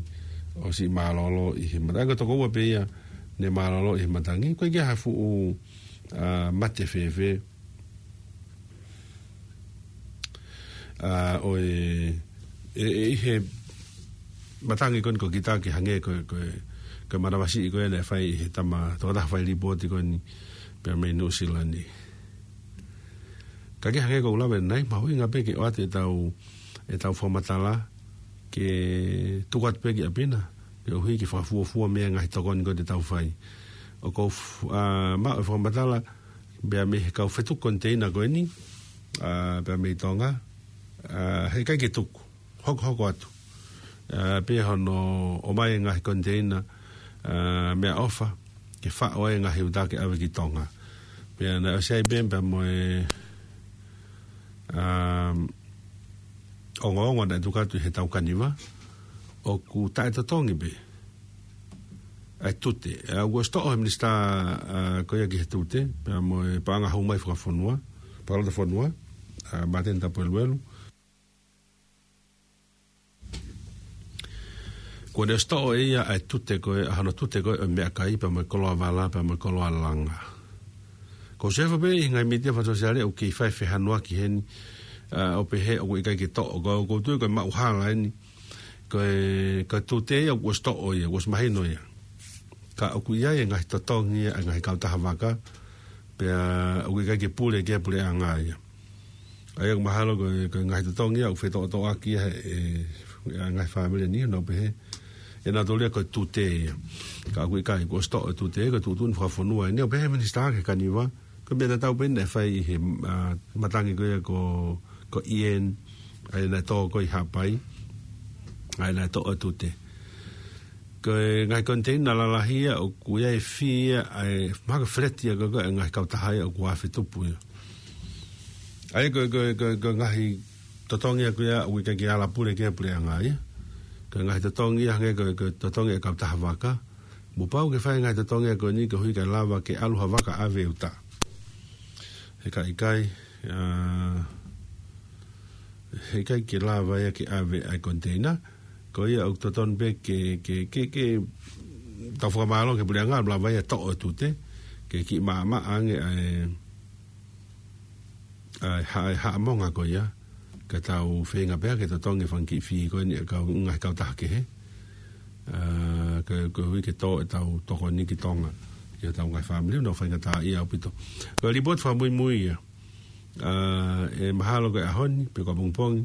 ʻo siʻi mālōlō ʻi he matangi. Ko e toko ua pē ia ne mālōlō ʻi he matangi, ko e ʻikai ha fuʻu, ʻa, mate fēfē. ʻA, ʻo e, e, e, ʻi he matangi ko eni ko Kitaki hangē ko e, ko e, ko e manavasiʻi ko ē naʻe fai ʻe he tama, tokotaha fai lipooti ko eni pea mei Nuʻusila ni. Ka ke hangē ko ʻeku lave ʻanenai, mahuʻinga pē ke ʻoatu ʻetau, ʻetau fakamatala ke tuku atu pē ki ʻapi na, koeʻuhi ke fakafuofua mei he ngaahi tokoni ko ē te tau fai. ʻOku ou f-, ʻa, maʻu e fakamatala, pea mei he kau fetuku koniteina ko eni, ʻa, pea mei Tonga, ʻa, heʻikai ke tuku, hokohoko atu. ʻA, pea hono ʻomai e ngaahi koniteina, ʻa, meʻaʻofa, ke faʻo ai e ngaahi uta ke ʻave ki Tonga. Pea naʻe ʻosi ai pē, pea mo e, ʻa, ongoongo naʻe tuku atu ʻi he tau kaniva, ʻoku taʻetotongi pē ʻa e tute. ʻA, kuo ʻosi toʻo he minisitā, ʻa, ko ia ki he tute, pea mo e paʻanga hou mai fakafonua, palota fonua, ʻa, Māteni Tapueluelu. Kuo ne ʻosi toʻo ʻe ia ʻa e tute ko ē, ʻa hono tute ko ē ʻo e meʻakai, pea mo e koloa vala, pea mo e koloa langa. Ko Sefa pē ʻi he ngaahi mītia fakasōsiale ʻoku kei fai fehanuaki heni, ʻa, ʻo pehē ʻoku ʻikai ke toʻo, ko, ʻoku ou tui ko e maʻuhala eni, ko e, ko e tute ia kuo ʻosi toʻo ia, kuo ʻosi mahino ia. Ka ʻoku ʻi ai e ngaahi totongi ia ʻa e ngaahi kautaha vaka, pea ʻoku ʻikai ke pule ki ai e puleʻanga ia. ʻA ia ʻoku mahalo ko e, ko e ngaahi totongi ia ʻoku fetoʻotoʻaki ia he, e, ʻa e ngaahi fāmili ni, nau pehē ʻe nautolu ia ko e tute ia. Ka ʻoku ʻikai, kuo ʻosi toʻo e tute, ko e tuʻutuʻuni fakafonua eni, ʻo pehē minisitā ki he kaniva, ko e meʻa tatau pē eni naʻe fai ʻi he, ʻa, matangi ko ia ko, ko Ian, ʻa ia naʻe tō ko ē ʻi Haʻapai, ʻa ia naʻe toʻo e tute. Ko e ngaahi koniteina lalahi ia ʻoku ʻi ai e fī ia, ʻa e mahalo ko e feleti ia ko ē ʻa e ngaahi kautaha ia ʻoku afe tupu ia. ʻA ia ko e, ko e, ko e, ko e ngaahi totongi ia ko ia ʻoku ʻikai ke ala pule ki ai e puleʻanga ia. Ko e ngaahi totongi ia hangē ko e, ko e totongi e kautaha vaka. Kuo pau ke fai e ngaahi totongi ia ko eni koeʻuhi kae lava ke ʻalu ha vaka ʻave uta. Heʻikai, ʻa, heʻikai ke lava ia ke ʻave ʻa e koniteina. Ko ia ʻoku totonu pē ke, ke, ke, ke tau fakamālō ki he puleʻanga, lava ia toʻo e tute, ke kiʻi maʻamaʻa ange ʻa e, ʻa e ha-, ʻa e haʻamonga ko ia, ka tau feinga pē ke totongi e fanga kiʻi fī ko eni ʻa e kau, ngaahi kautaha kehe. ʻA, ko, koeʻuhi ke tō ʻetau tokoni ki Tonga, ki hotau ngaahi fāmili, ʻoku nau faingataʻaʻia ʻaupito. Ko e lipooti fakamuimui ia. ʻA, ʻe mahalo ko e ʻaho ni, pe ko ʻapongipongi,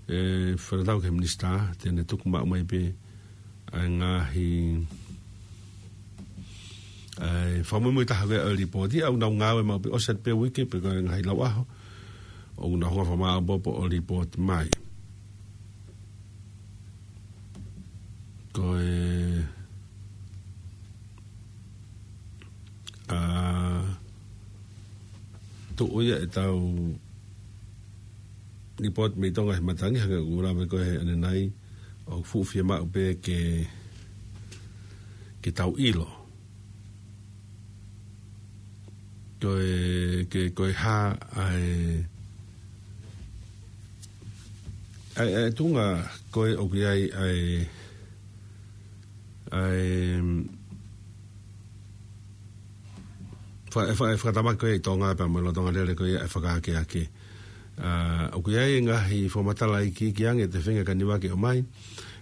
ʻe fakatatau ki he minisitā, te ne tuku maʻu mai pē ʻa e ngaahi, ʻA e fakamuimui taha ʻo e lipooti, ʻoku nau ngāue maʻu pē ʻosi atu pē uike pe ko e ngaahi lau ʻaho, ʻoku nau hanga ʻo fakamāʻopoʻopo ʻo lipooti mai. Ko e, ʻa, tuʻu ia ʻetau lipooti mei Tonga he matangi, hangē ko ʻeku lave ko ē ʻanenai, ʻoku fuʻu fiemaʻu pē ke, ke tau ʻilo. Ko e, ke, ko e hā ʻa e, ʻa e, ʻa e tuʻunga ko ē ʻoku ʻi ai ʻa e, ʻa e, fa-, e fa-, e fakatamaki ko ē ʻi Tonga pea mo e lolotonga lele ko ē ʻa e fakaakeake. ʻA, ʻoku ʻi ai e ngaahi fakamatala iiki, iiki ange ʻe feinga e kaniva ke ʻomai,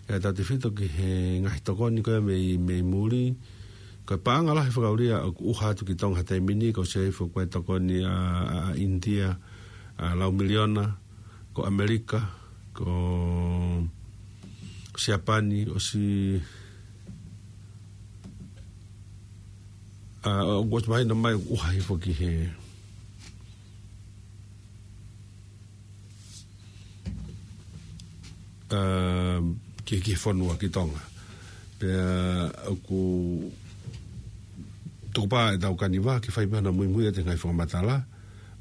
kae tautefito ki he ngaahi tokoni ko ē mei, mei muli. Ko e paʻanga lahi fakaʻulia ʻoku ʻuha atu ki Tonga he taimi ni, ko e seifo ko e tokoni ʻa, ʻa, ʻa ʻInitia, ʻa, lau miliona, ko ʻAmelika, ko Siapani, ʻosi, ʻa, ʻoku ʻosi mahino mai ʻoku ʻuha hifo ki he, ʻa, ki, ki he fonua, ki Tonga. Pea ʻoku tukupā ʻetau kaniva ke fai pē hano muimui ʻa e ngaahi fakamatala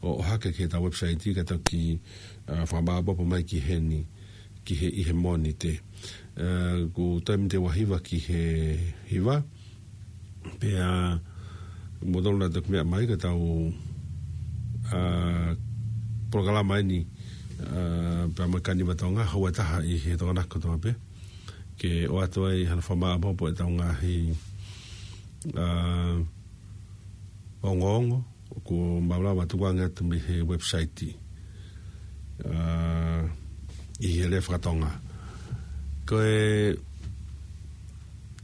ʻo, ʻo ʻohake ki heʻetau website ka tau ki, ʻa, fakamāʻopoʻopo mai ki heni, ki he, ʻi he Mōnite. ʻA, ʻoku toe miniti ua hiva ki he hiva. Pea, mou tonu naʻa toki meʻa mai ka tau, ʻa, polokalama eni, ʻa, pea mo e kaniva Tonga, houa ʻe taha ʻi he Tokonaki kotoa pē. Ke ʻoatu ai hano fakamāʻopoʻopo ʻetau ngaahi, ʻa, ongoongo, ʻoku mau lava tukuange atu mei he website, ʻa, ʻi he lea faka-Tonga. Ko e,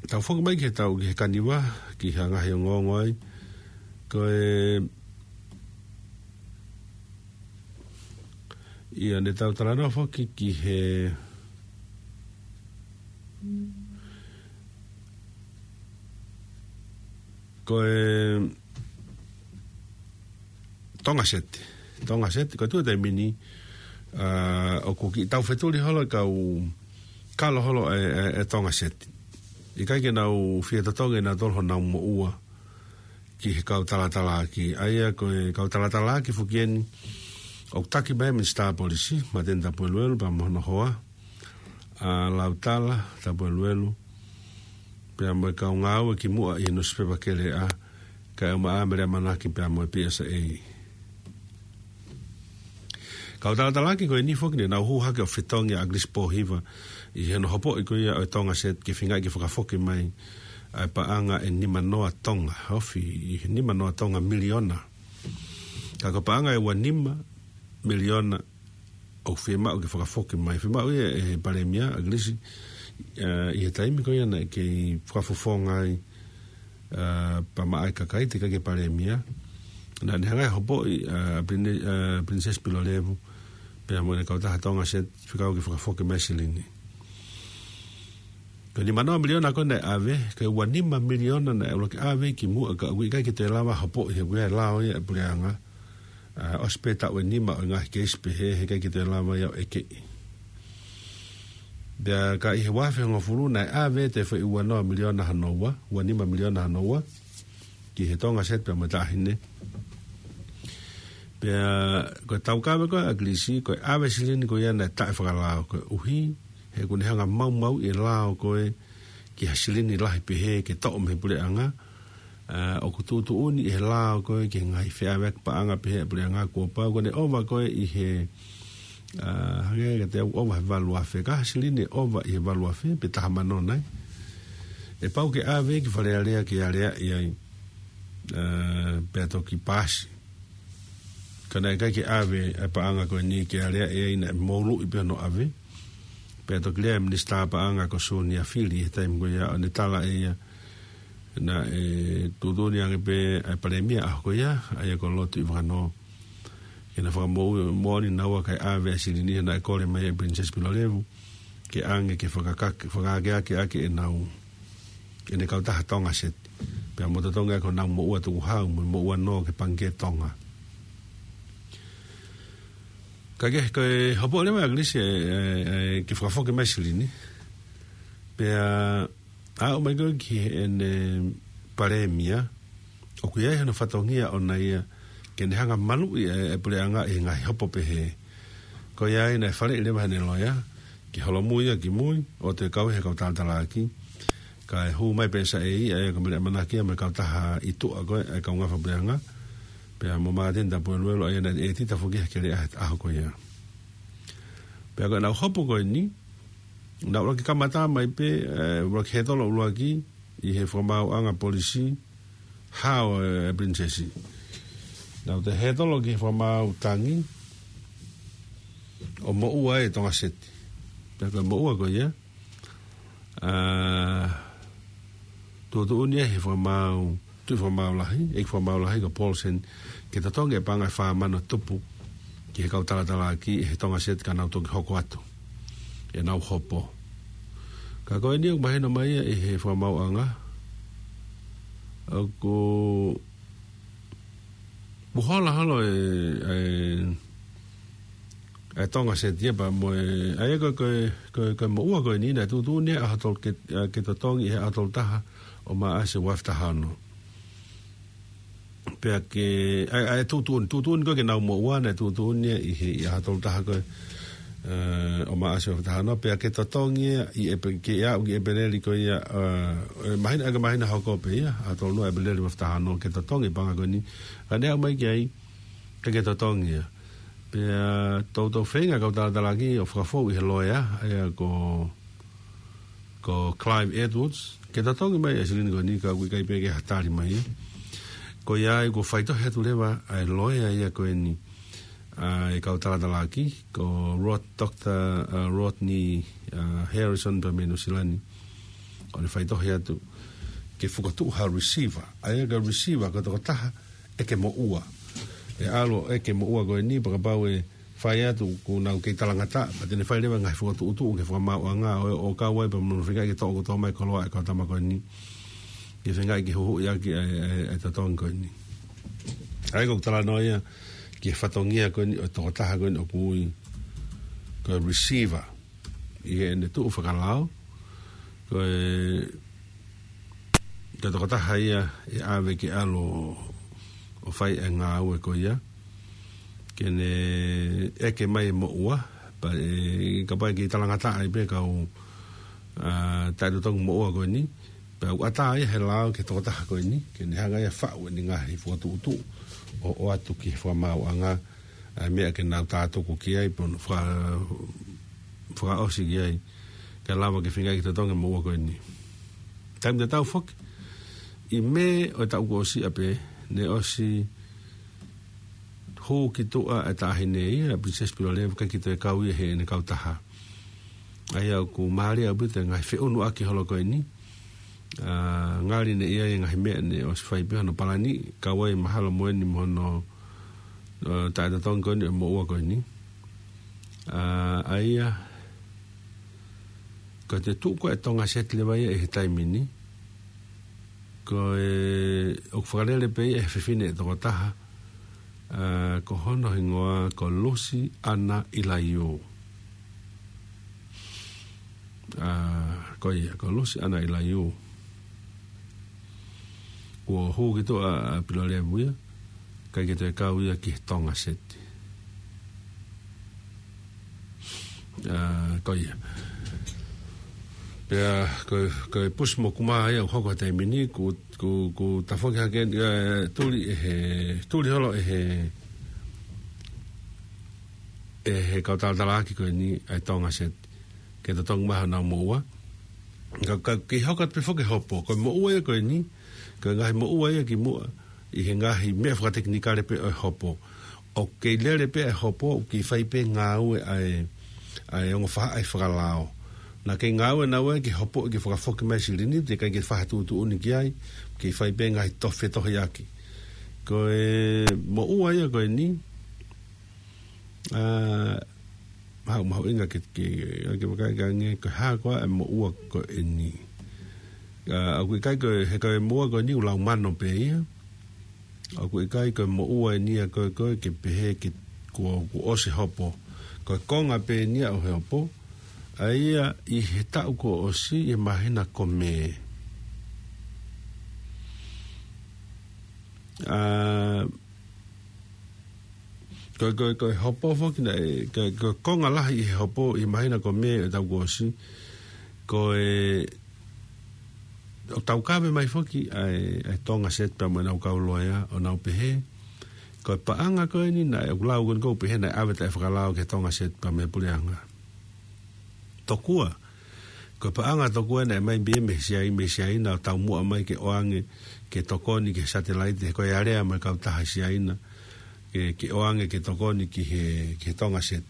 tau foki mai ki heʻetau, ki he kaniva, ki he ngaahi ongoongo ai. Ko e, ʻio, ne tau talanoa foki ki he, ko e Tonga Set. Tonga Set, ko e tuʻu he taimi ni, ʻa, ʻoku kiʻi taufetuli holo e kau kalo holo e, e, e Tonga Set. ʻIkai ke nau fie totongi ʻe nautolu honau moʻua ki he kau talatalaaki. ʻA ia ko e kau talatalaaki foki eni, ʻoku taki mai e Minisitā Polisi, Mateni Tapueluelu, pea mo hono hoa, ʻa Lautala Tapueluelu, pea mo e kau ngāue kimuʻa ʻi he nusipepa Keleʻa, kae ʻumaʻā Mele ʻAmanaki pea mo e P S A. Kau talatalaaki ko eni foki ne nau hū hake ʻo fetongi ʻa ʻAkilisi Pōhiva ʻi hono hopoʻi ko ia ʻo e Tonga Set ke feingaʻi ke fakafoki mai ʻa e paʻanga ʻe nima noa Tonga, ofi ʻi he nima noa Tonga miliona. Ka ko e paʻanga ʻe ua nima miliona ʻoku fiemaʻu ke fakafoki mai. Fiemaʻu ia ʻe he Palēmia, ʻAkilisi, ʻa, ʻi he taimi ko ia naʻe kei fakafofonga ai, ʻa, pea maʻa e kakai teʻeki ke Palēmia. Naʻa ne hanga ʻo hopoʻi, ʻa, Prine-, ʻa, Princess Pilolevu, pea mo ʻene kautaha Tonga Set, fekau ke fakafoki mai e silini. Ko e nima noa miliona ko ē naʻe ʻave, ko e ua nima miliona naʻe ʻuluaki ʻave kimuʻa ka ʻoku ʻikai ke toe lava hopoʻi he ʻoku ʻi ai e lao ia ʻa e puleʻanga. ʻA, ʻosi pē taʻu ʻe nima ʻo e ngaahi keisi pehē, heʻikai ke toe lava ia ʻo ʻekeʻi. Pea ka ʻi he ua afe hongofulu naʻe ʻave ʻe he foʻi ua noa miliona hono ua, ua nima miliona hono ua, ki he Tonga Set pea mo e taʻahine. Pea ko e taukave ko ē ʻa ʻAkilisi, ko e ʻave silini ko ia naʻe taʻefakalao koeʻuhi he ʻoku ne hanga ʻo maumauʻi e lao ko ē ki ha silini lahi pehē ke toʻo mei he puleʻanga, ʻa, ʻoku tuʻutuʻuni ʻe he lao ko ē ki he ngaahi feʻaveʻaki paʻanga pehē ʻa e puleʻanga kuo pau ko ʻene ʻova ko ē ʻi he, ʻa, hangē kiate au ʻova he valu afe, ka ha silini ʻe ʻova ʻi he valu afe pe taha mano nai. ʻE pau ke ʻave ki Fale Alea ke aleaʻi ai, ʻa, pea toki paasi. Ka naʻe ʻikai ke ʻave ʻa e paʻanga ko eni ke aleaʻi ai, naʻe mouluʻi pē hono ʻave. Pea toki lea e Minisitā Paʻanga ko Sūnia Fili he taimi ko ia ʻo ne tala ʻe ia naʻe tuʻutuʻuni ange pē ʻa e Palēmia ʻaho ko ia, ʻa ia ko Lord Tuʻivakanō, ke na fakamoʻoni naua kae ʻave ʻa e silini ia naʻe kole mai ʻe Princess Pilolevu ke ʻange ke fakaka-, fakaakeake ʻaki ʻenau, ʻene kautaha Tonga Set. Pea mo totongi ʻaki honau moʻua tukuhau, mo e moʻua nō ki he Pangikē Tonga. Ka ke, ko e hopo leva ʻa ʻAkilisi ʻe, ʻe, ʻe, ke fakafoki mai Silini. Pea aʻu mai ko ē ki heʻene palēmia, ʻoku ʻi ai hono fatongia ʻona ia, ke ne hanga maluʻi e, e puleʻanga ʻi he ngaahi hopo pehē. Ko ia ai naʻe faleʻi leva heʻene loea, ke holomui ia ki mui, ʻo toe kau he kau talatalaaki. Kae hū mai pē ʻe Saʻei, ʻa ia ko Mele ʻAmanaki ia mo e kautaha ʻi tuʻa ko ē, ʻa e kau ngāue fakapuleʻanga. Pea mo Māteni Tapueluelu, ʻa ia naʻe ʻētita foki he keleʻa he ʻaho ko ia. Pea ko ʻenau hopo ko eni, naʻe ʻuluaki kamata mai pē, ē, ʻuluaki hētolo ʻuluaki, ʻi he fakamaauʻanga polisi, hao e, e Pilinisesi. Naʻe toe hētolo ki he fakamaau tangi, ʻo moʻua e Tonga Seti. Pea ko e moʻua ko ia, ʻa, tuʻutuʻuni ʻe he fakamaau, tuʻi fakamaau lahi, ʻeiki fakamaau lahi ko Paulsen, ke totongi e paʻanga ʻe fā mano tupu ki he kau talatalaaki ʻi he Tonga Seti ka nau toki hoko atu ʻenau hopo. Ka ko eni ʻoku mahino mai ia ʻi he fakamaauʻanga, ʻoku puhala holo e, e, e Tonga Seti ia pea mo e, ʻa ia ko, ko, ko, ko e moʻua ko eni naʻe tuʻutuʻuni ʻe he ʻaho tolu ke, ʻa, ke totongi ʻi he ʻaho tolu taha ʻo Maʻasi ua afe taha ono. Pea ke, ʻa, ʻa, e tuʻutuʻuni, tuʻutuʻuni ko ē ke nau moʻua naʻe tuʻutuʻuni ʻi he, ʻi he ʻaho tolu taha ko ē, ē, ʻo Maʻasi ua afe taha ono, pea ke totongi ia ʻi ʻEpe-, ke aʻu ki ʻEpeleli ko ia, ē, ē, māhina, ʻa ia ko e māhina hoko pē ia, ʻaho tolu noa ʻEpeleli ua afe taha ono, ke totongi e paʻanga ko eni, ka ne aʻu mai ki ai, ʻikai ke totongi ia. Pea toutou feinga e kau talatalaaki ʻo fakafou ʻi he loea, ʻa ia ko, ko Clive Edwards, ke totongi mai e Silini ko eni ka ʻoku ʻikai pē ke ha tali mai ia. Ko ia ai kuo faitohi atu leva ʻa e loea ia ko eni, ʻa e kau talatalaaki, ko Rod-, Doctor, ʻa, Rodney, ʻa, Harrison pea mei Nuʻu Sila ni. ʻO ne faitohi atu ke fokotuʻu ha receiver. ʻA ia ko e receiver ko e tokotaha ʻeke moʻua. ʻE ʻalu ʻo ʻeke moʻua ko eni pea kapau ʻe fai atu kuo nau kei talangataʻa, pea te ne fai leva e ngaahi fokotuʻutuʻu ki he fakamaauʻanga ʻo, ʻo kau ai pea mo hono feingaʻi ke toʻo kotoa mai e koloa ʻa e kau tama ko eni. Ke feingaʻi ke huhuʻi ʻaki ʻa e, ʻa e, ʻa e totongi ko eni. ʻA ia ko ʻeku talanoa ia ki he fatongia ko eni ʻo e tokotaha ko eni ʻoku ui ko e receiver. ʻI heʻene tuʻu fakalao, ko e, ko e tokotaha ia ʻe ʻave ke ʻalu ʻo, ʻo fai e ngāue ko ia, ke ne ʻeke mai e moʻua, pea ʻe, kapau ʻe kei talangataʻa ai pē kau, ʻa, taʻetotongi moʻua ko eni, pea ʻoku ʻatā ia he lao ki he tokotaha ko eni, ke ne hanga ia ʻo faʻu ʻene ngaahi fokotuʻutuʻu, ʻo, ʻoatu ki he fakamaauʻanga, ʻa e meʻa ke nau tātuku ki ai, pe ʻo nau faka-, fakaʻosi ki ai, kae lava ke feingaʻi ke totongi e moʻua ko eni. Taimi tatau foki, ʻi Mē ʻo e taʻu kuo ʻosi ia pē, ne ʻosi hū ki tuʻa e taʻahine ia, ʻa Princess Pilolevu, ʻikai ke toe kau ia heʻene kautaha. ʻA ia ʻoku mālie ʻaupito e ngaahi feʻunuʻaki holo ko eni, ʻa, ngali ne ʻi ai e ngaahi meʻa ne ʻosi fai pē hono palani, kau ai mahalo mo eni mo hono, ʻa, taʻetotongi ko eni ʻo e moʻua ko eni. ʻA, ʻa ia, ko e tuʻu ko ē e Tonga Seti leva ia ʻi he taimi ni, ko e, ʻoku fakalele pē ia ʻe he fefine ʻe toko taha, ʻa, ko hono hingoa ko Lucy Anna Ilaiū. ʻA, ko ia, ko Lucy Anna Ilaiū. Kuo hū ki tuʻa ʻa, ʻa Pilolevu ia, ʻikai ke toe kau ia ki he Tonga Seti. ʻA, ko ia. Pea, ko, ko e pusi mo kumā ia ʻoku hoko he taimi ni, kuo, kuo, kuo tafoki hake, ʻa, tuli ʻe he, tuli holo ʻe he, ʻe he kau talatalaaki ko eni ʻa e Tonga Seti. Ke totongi mai honau moʻua. Ka, ka, ke hoko atu pē foki e hopo. Ko e moʻua ia ko eni, ko e ngaahi moʻua ia ki muʻa, ʻi he ngaahi meʻa fakatekinikale pē ʻo e hopo. ʻOku kei lele pē e hopo, ʻoku kei fai pē ngāue ʻa e, ʻa e ongo faʻahi fakalao. Naʻa kei ngāue naua ki he hopo ke fakafoki mai Silini, teʻeki ai ke fai ha tuʻutuʻuni ki ai, kei fai pē ngaahi tohi fetohiʻaki. Ko e moʻua ia ko eni, ʻa, mahu, mahuʻinga ke, ke, ke vakai ange, ko e hā koā e moʻua ko eni. ʻA, ʻoku ʻikai ko e, he ko e moʻua ko eni ʻoku lau mano pē ia. ʻOku ʻikai ko e moʻua eni ia ko e, ko e ke pehē ke kuo, kuo ʻosi hopo. Ko e konga pē eni ia ʻo e hopo. ʻA ia ʻi he taʻu kuo ʻosi ʻi he māhina ko Mē. ʻA, ko, ko, ko e hopo foki naʻe, ko, ko e konga lahi ʻi he hopo ʻi he māhina ko Mē ʻo e taʻu kuo ʻosi. Ko e, ʻo taukave mai foki ʻa e, ʻa e Tonga Set pea mo ʻenau kau loea ʻo nau pehē. Ko e paʻanga ko eni naʻe ʻoku lau ko eni ʻoku pehē naʻe ʻave taʻefakalao ki he Tonga Set pea mo e puleʻanga. Tokua. Ko e paʻanga tokua naʻe ʻomai pē mei Siai-, mei Siaina ʻo taumuʻa mai ke ʻoange ke tokoni ki he satelaite, he ko e alea mai kautaha Siaina, ke, ke ʻoange ke tokoni ki he, ki he Tonga Set.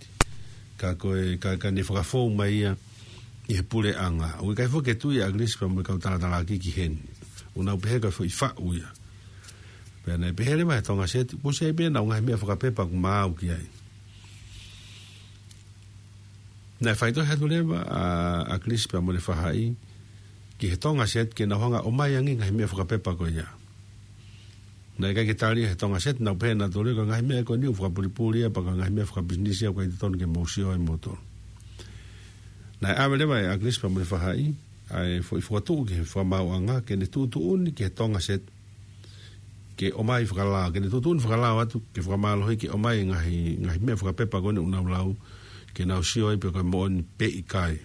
Ka ko e, ka, ka ne fakafou mai ia ʻi he puleʻanga. ʻOku ʻikai foki ke tui ʻa ʻAkilisi pea mo e kau talatalaaki ki heni. ʻOku nau pehē ko e foʻi faʻu ia. Pea naʻe pehē leva he Tonga Set, kuo ʻosi ʻi ai pē ʻenau ngaahi meʻa fakapepa ʻoku maau ki ai. Naʻe faitohi atu leva ʻa, ʻa ʻAkilisi pea mo ʻene faʻahi ki he Tonga Set ke nau hanga ʻo ʻomai ange ngaahi meʻa fakapepa ko ia. Naʻe ʻikai ke tali he Tonga Set, nau pehē nautolu ko e ngaahi meʻa ko eni ʻoku fakapulipuli ia pea ko e ngaahi meʻa fakapisinisi ia ʻoku ʻikai totonu ke mou sio ai moutolu. Naʻe ʻave leva ʻe ʻAkilisi pea mo ʻene faʻahi ʻa e foʻi fokotuʻu ki he fakamaauʻanga ke ne tuʻutuʻuni ki he Tonga Set ke ʻomai fakalao, ke ne tuʻutuʻuni fakalao atu, ke fakamālohi ke ʻomai ngaahi, ngaahi meʻa fakapepa ko eni ʻoku nau lau, ke nau sio ai pe ko e moʻoni pe ʻikai.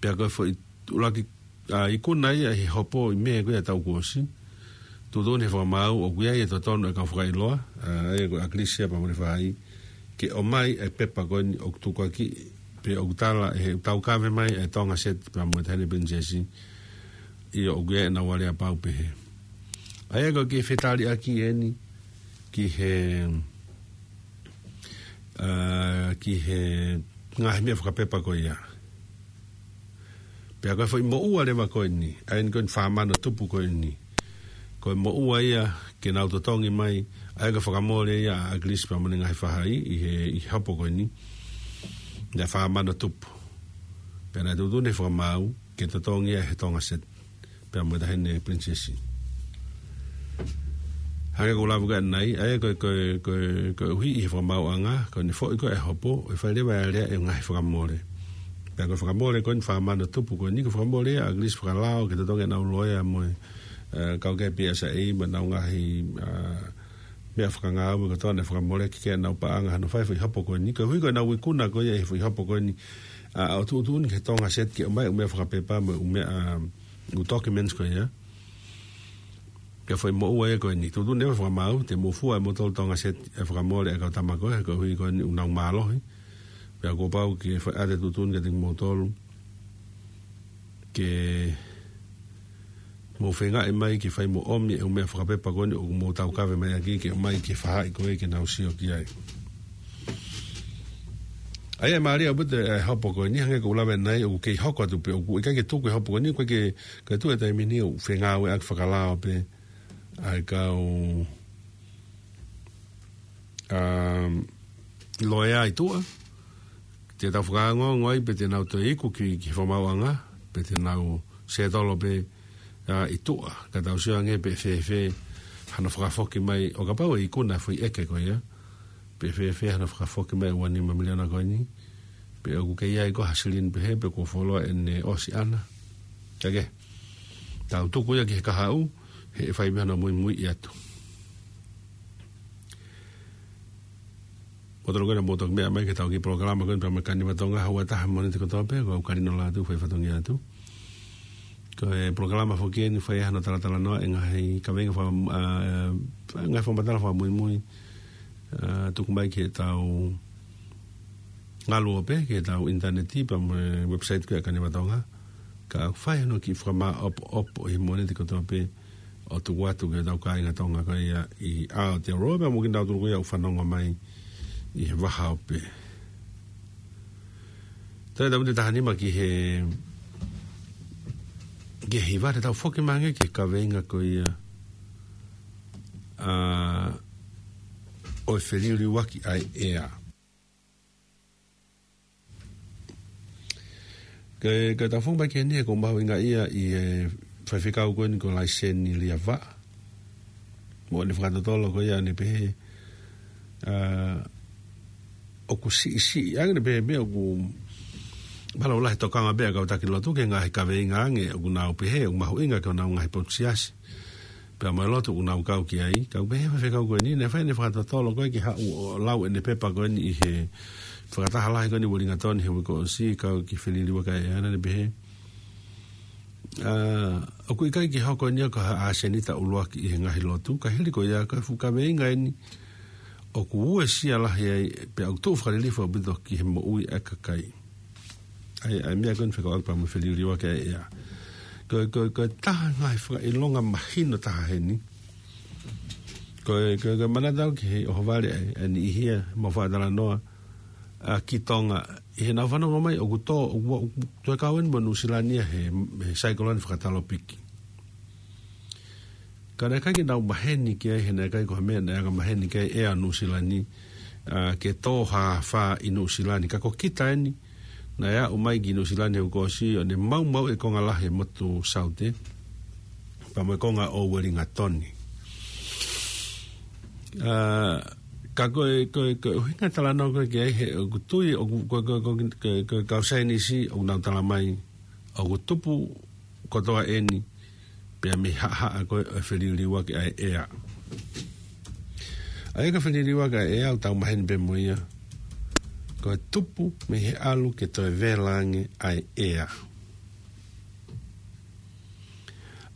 Pea ko e foʻi ʻuluaki, ʻa, ikuna ia ʻi he hopo ʻi Mē ko ia taʻu kuo ʻosi. Tuʻutuʻuni he fakamaau ʻoku ʻi ai e totonu e kau fakaʻiloa, ʻa, ʻa ia ko ʻAkilisi pea mo ʻene faʻahi, ke ʻomai e pepa ko eni ʻoku tukuakiʻi, pe ʻoku tala ʻe he taukave mai e Tonga Set pea mo e Taʻahine Pilinisesi, ʻio ʻoku ʻi ai ʻenau aleapau pehē. ʻA ia ko e kiʻi fetaliʻaki eni ki he, ʻa, ki he ngaahi meʻa fakapepa ko ia. Pea ko e foʻi moʻua leva ko eni, ʻa eni ko eni fā mano tupu ko eni. Ko e moʻua ia ke nau totongi mai, ʻa ia ko e fakamole ia ʻa ʻAkilisi pea mo ʻene ngaahi faʻahi ʻi he, ʻi he hopo ko eni. Naʻe fā mano tupu. Pea naʻe tuʻutuʻuni he fakamaau, ke totongi ia he Tonga Set. Pea mo e Taʻahine Pilinisesi. Hangē ko e lave ko ē ʻanenai, ʻa ia ko e, ko e, ko e, koeʻuhi ʻi he fakamaauʻanga, ko ʻene foʻi ko ē e hopo, ʻe fai leva e alea e ngaahi fakamole. Pea ko e fakamole ko eni fā mano tupu ko eni, ko e fakamole ʻa ʻAkilisi fakalao, ke totongi ʻenau loea mo e, ʻa, kau ki he P S A mo ʻenau ngaahi, ʻa, meʻa fakangāue ko ē naʻe fakamole ki ai ʻenau paʻanga hano fai foʻi hopo ko eni. Koeʻuhi ko ʻenau ikuna ko ia he foʻi hopo ko eni, ʻa, ʻo tuʻutuʻuni ki he Tonga Set ke ʻomai ʻū meʻa fakapepa mo e ʻū meʻa, ʻa, ʻū documents ko ia. Pea foʻi moʻua ia ko eni. Tuʻutuʻuni e fakamaau, te mou fua ʻe moutolu Tonga Set e fakamole e kau tama ko ē, koeʻuhi ko eni ʻoku nau mālohi. Pea kuo pau ke fai ʻa e tuʻutuʻuni kiate kimoutolu. Ke mou feingaʻi mai ke fai mo ʻomi e ʻū meʻa fakapepa ko eni ʻoku mou taukave mai ʻaki ke ʻomai ki he faʻahi ko ē ke nau sio ki ai. ʻA ia ʻe mālie ʻaupito e hopo ko eni, hangē ko e lave ʻanenai ʻoku kei hoko atu pē ʻoku ʻikai ke tuku e hopo ko eni, ʻoku ʻikai ke, ke tuku e taimi ni ʻoku fengāueʻaki fakalao pē ʻa e kau, um, loea ʻi tuʻa. Te tau fakaongoongo ai pe te nau toe iku ki, ki he fakamaauʻanga, pe te nau sētolo pē, ʻa, ʻi tuʻa. Ka tau sio ange pe fēfē hano fakafoki mai ʻo kapau ʻe ikuna e foʻi ʻeke ko ia. Pe fēfē hano fakafoki mai ua nima miliona ko eni. Pe ʻoku kei ʻi ai ko ha silini pehē pe kuo fuoloa ʻene ʻosi ʻana. Ka ke tau tuku ia ki he kahaʻu, he ʻe fai pē hano muimuiʻi atu. Motolo ko ena mou toki meʻa mai ki heʻetau kiʻi polokalama ko eni pea mo e Kaniva Tonga, houa ʻe taha Mōnite kotoa pē, ko au Kalino Lātū, fai fatongia atu. Ko e polokalama foki eni fai hano talatalanoa e ngaahi kaveinga faka-, ʻa, ngaahi fakamatala fakamuimui, ʻa, tuku mai ki heʻetau ngaluope, ki heʻetau ʻinitaneti, pea mo e website ko e Kaniva Tonga. Ka ʻoku fai hano kiʻi fakamaʻopoʻopo ʻi Mōnite kotoa pē, ʻo tuku atu ki heʻetau kāinga Tonga ko ia ʻi Aotearoa, pea mo kinautolu ko ia ʻoku fanongo mai ʻi he vahaope. Toe tau te taha nima ki he, ki he hiva te tau foki mai ange ki he kaveinga ko ia, ʻa, ʻo e feliuliuaki ʻa e ʻea. Ke, ke tau fou mai ki heni he ʻoku mahuʻinga ia ʻi he faifekau ko eni ko Laiseni Liavaʻa. Mo ʻene fakatotolo ko ia ʻo ne pehē, ʻa, ʻoku siʻisiʻi ange ʻene pehē meʻa ʻoku mālō lahi tokanga pē ʻa e kau taki lotu ki he ngaahi kaveinga ange ʻoku nau pehē ʻoku mahuʻinga ki honau ngaahi potu siasi. Pea mo e lotu ʻoku nau kau ki ai, kau pehē faifekau ko eni, naʻe fai ʻene fakatotolo ko ē ke haʻu ʻo lau ʻene pepa ko eni ʻi he fakataha lahi ko eni Uelingatoni he uike kuo ʻosi, kau ki he Feliliuaki ʻa e ʻEa, naʻa ne pehē, ʻa, ʻoku ʻikai ke hoko eni ia ko ha ʻasenita ʻuluaki ʻi he ngaahi lotu, ka hili ko ia ko e fuʻu kaveinga eni ʻoku uesia lahi ai, pea ʻoku tuʻu fakalilifu ʻaupito ki he moʻui ʻa e kakai. ʻA e, ʻa e meʻa ko eni fekauʻaki pea mo e Feliliuaki ʻa e ʻEa. Ko, ko, ko e taha ngaahi fakaʻilonga mahino taha heni. Ko e, ko e, ko e manatu au ki he ʻohovale ʻa e, ʻa e niʻihi ia ʻoku mau faʻa talanoa, ʻa, ki Tonga. ʻI heʻenau fanongo mai, ʻoku tō, ʻoku, ʻoku toe kau eni mo Nuʻusila ni ia he, he saikolone fakatalopiki. Ka naʻe ʻikai ke nau maheni ki ai, he naʻe ʻikai ko ha meʻa naʻe anga maheni ki ai ʻa Nuʻusila ni, ʻa, ke tō ha afā ʻi Nuʻusila ni. Ka ko kita eni, naʻe aʻu mai ki Nuʻusila ni he uike kuo ʻosi, ʻo ne maumauʻi e konga lahi e motu Saute, pea mo e konga ʻo Uelingatoni. ʻA, ka ko e, ko e, ko e ʻuhinga talanoa ko ē ki ai he, ʻoku tui, ʻoku, ko, ko, ko, ko, ko e kau saienisi, ʻoku nau tala mai, ʻoku tupu kotoa eni, pea mei he haʻahaʻa ko ē ʻo e Feliliuaki ʻa e ʻEa. ʻA ia ko e Feliliuaki ʻa e ʻEa ʻoku tau maheni pē mo ia, ko e tupu mei he ʻalu ke toe vela ange ʻa e ʻea.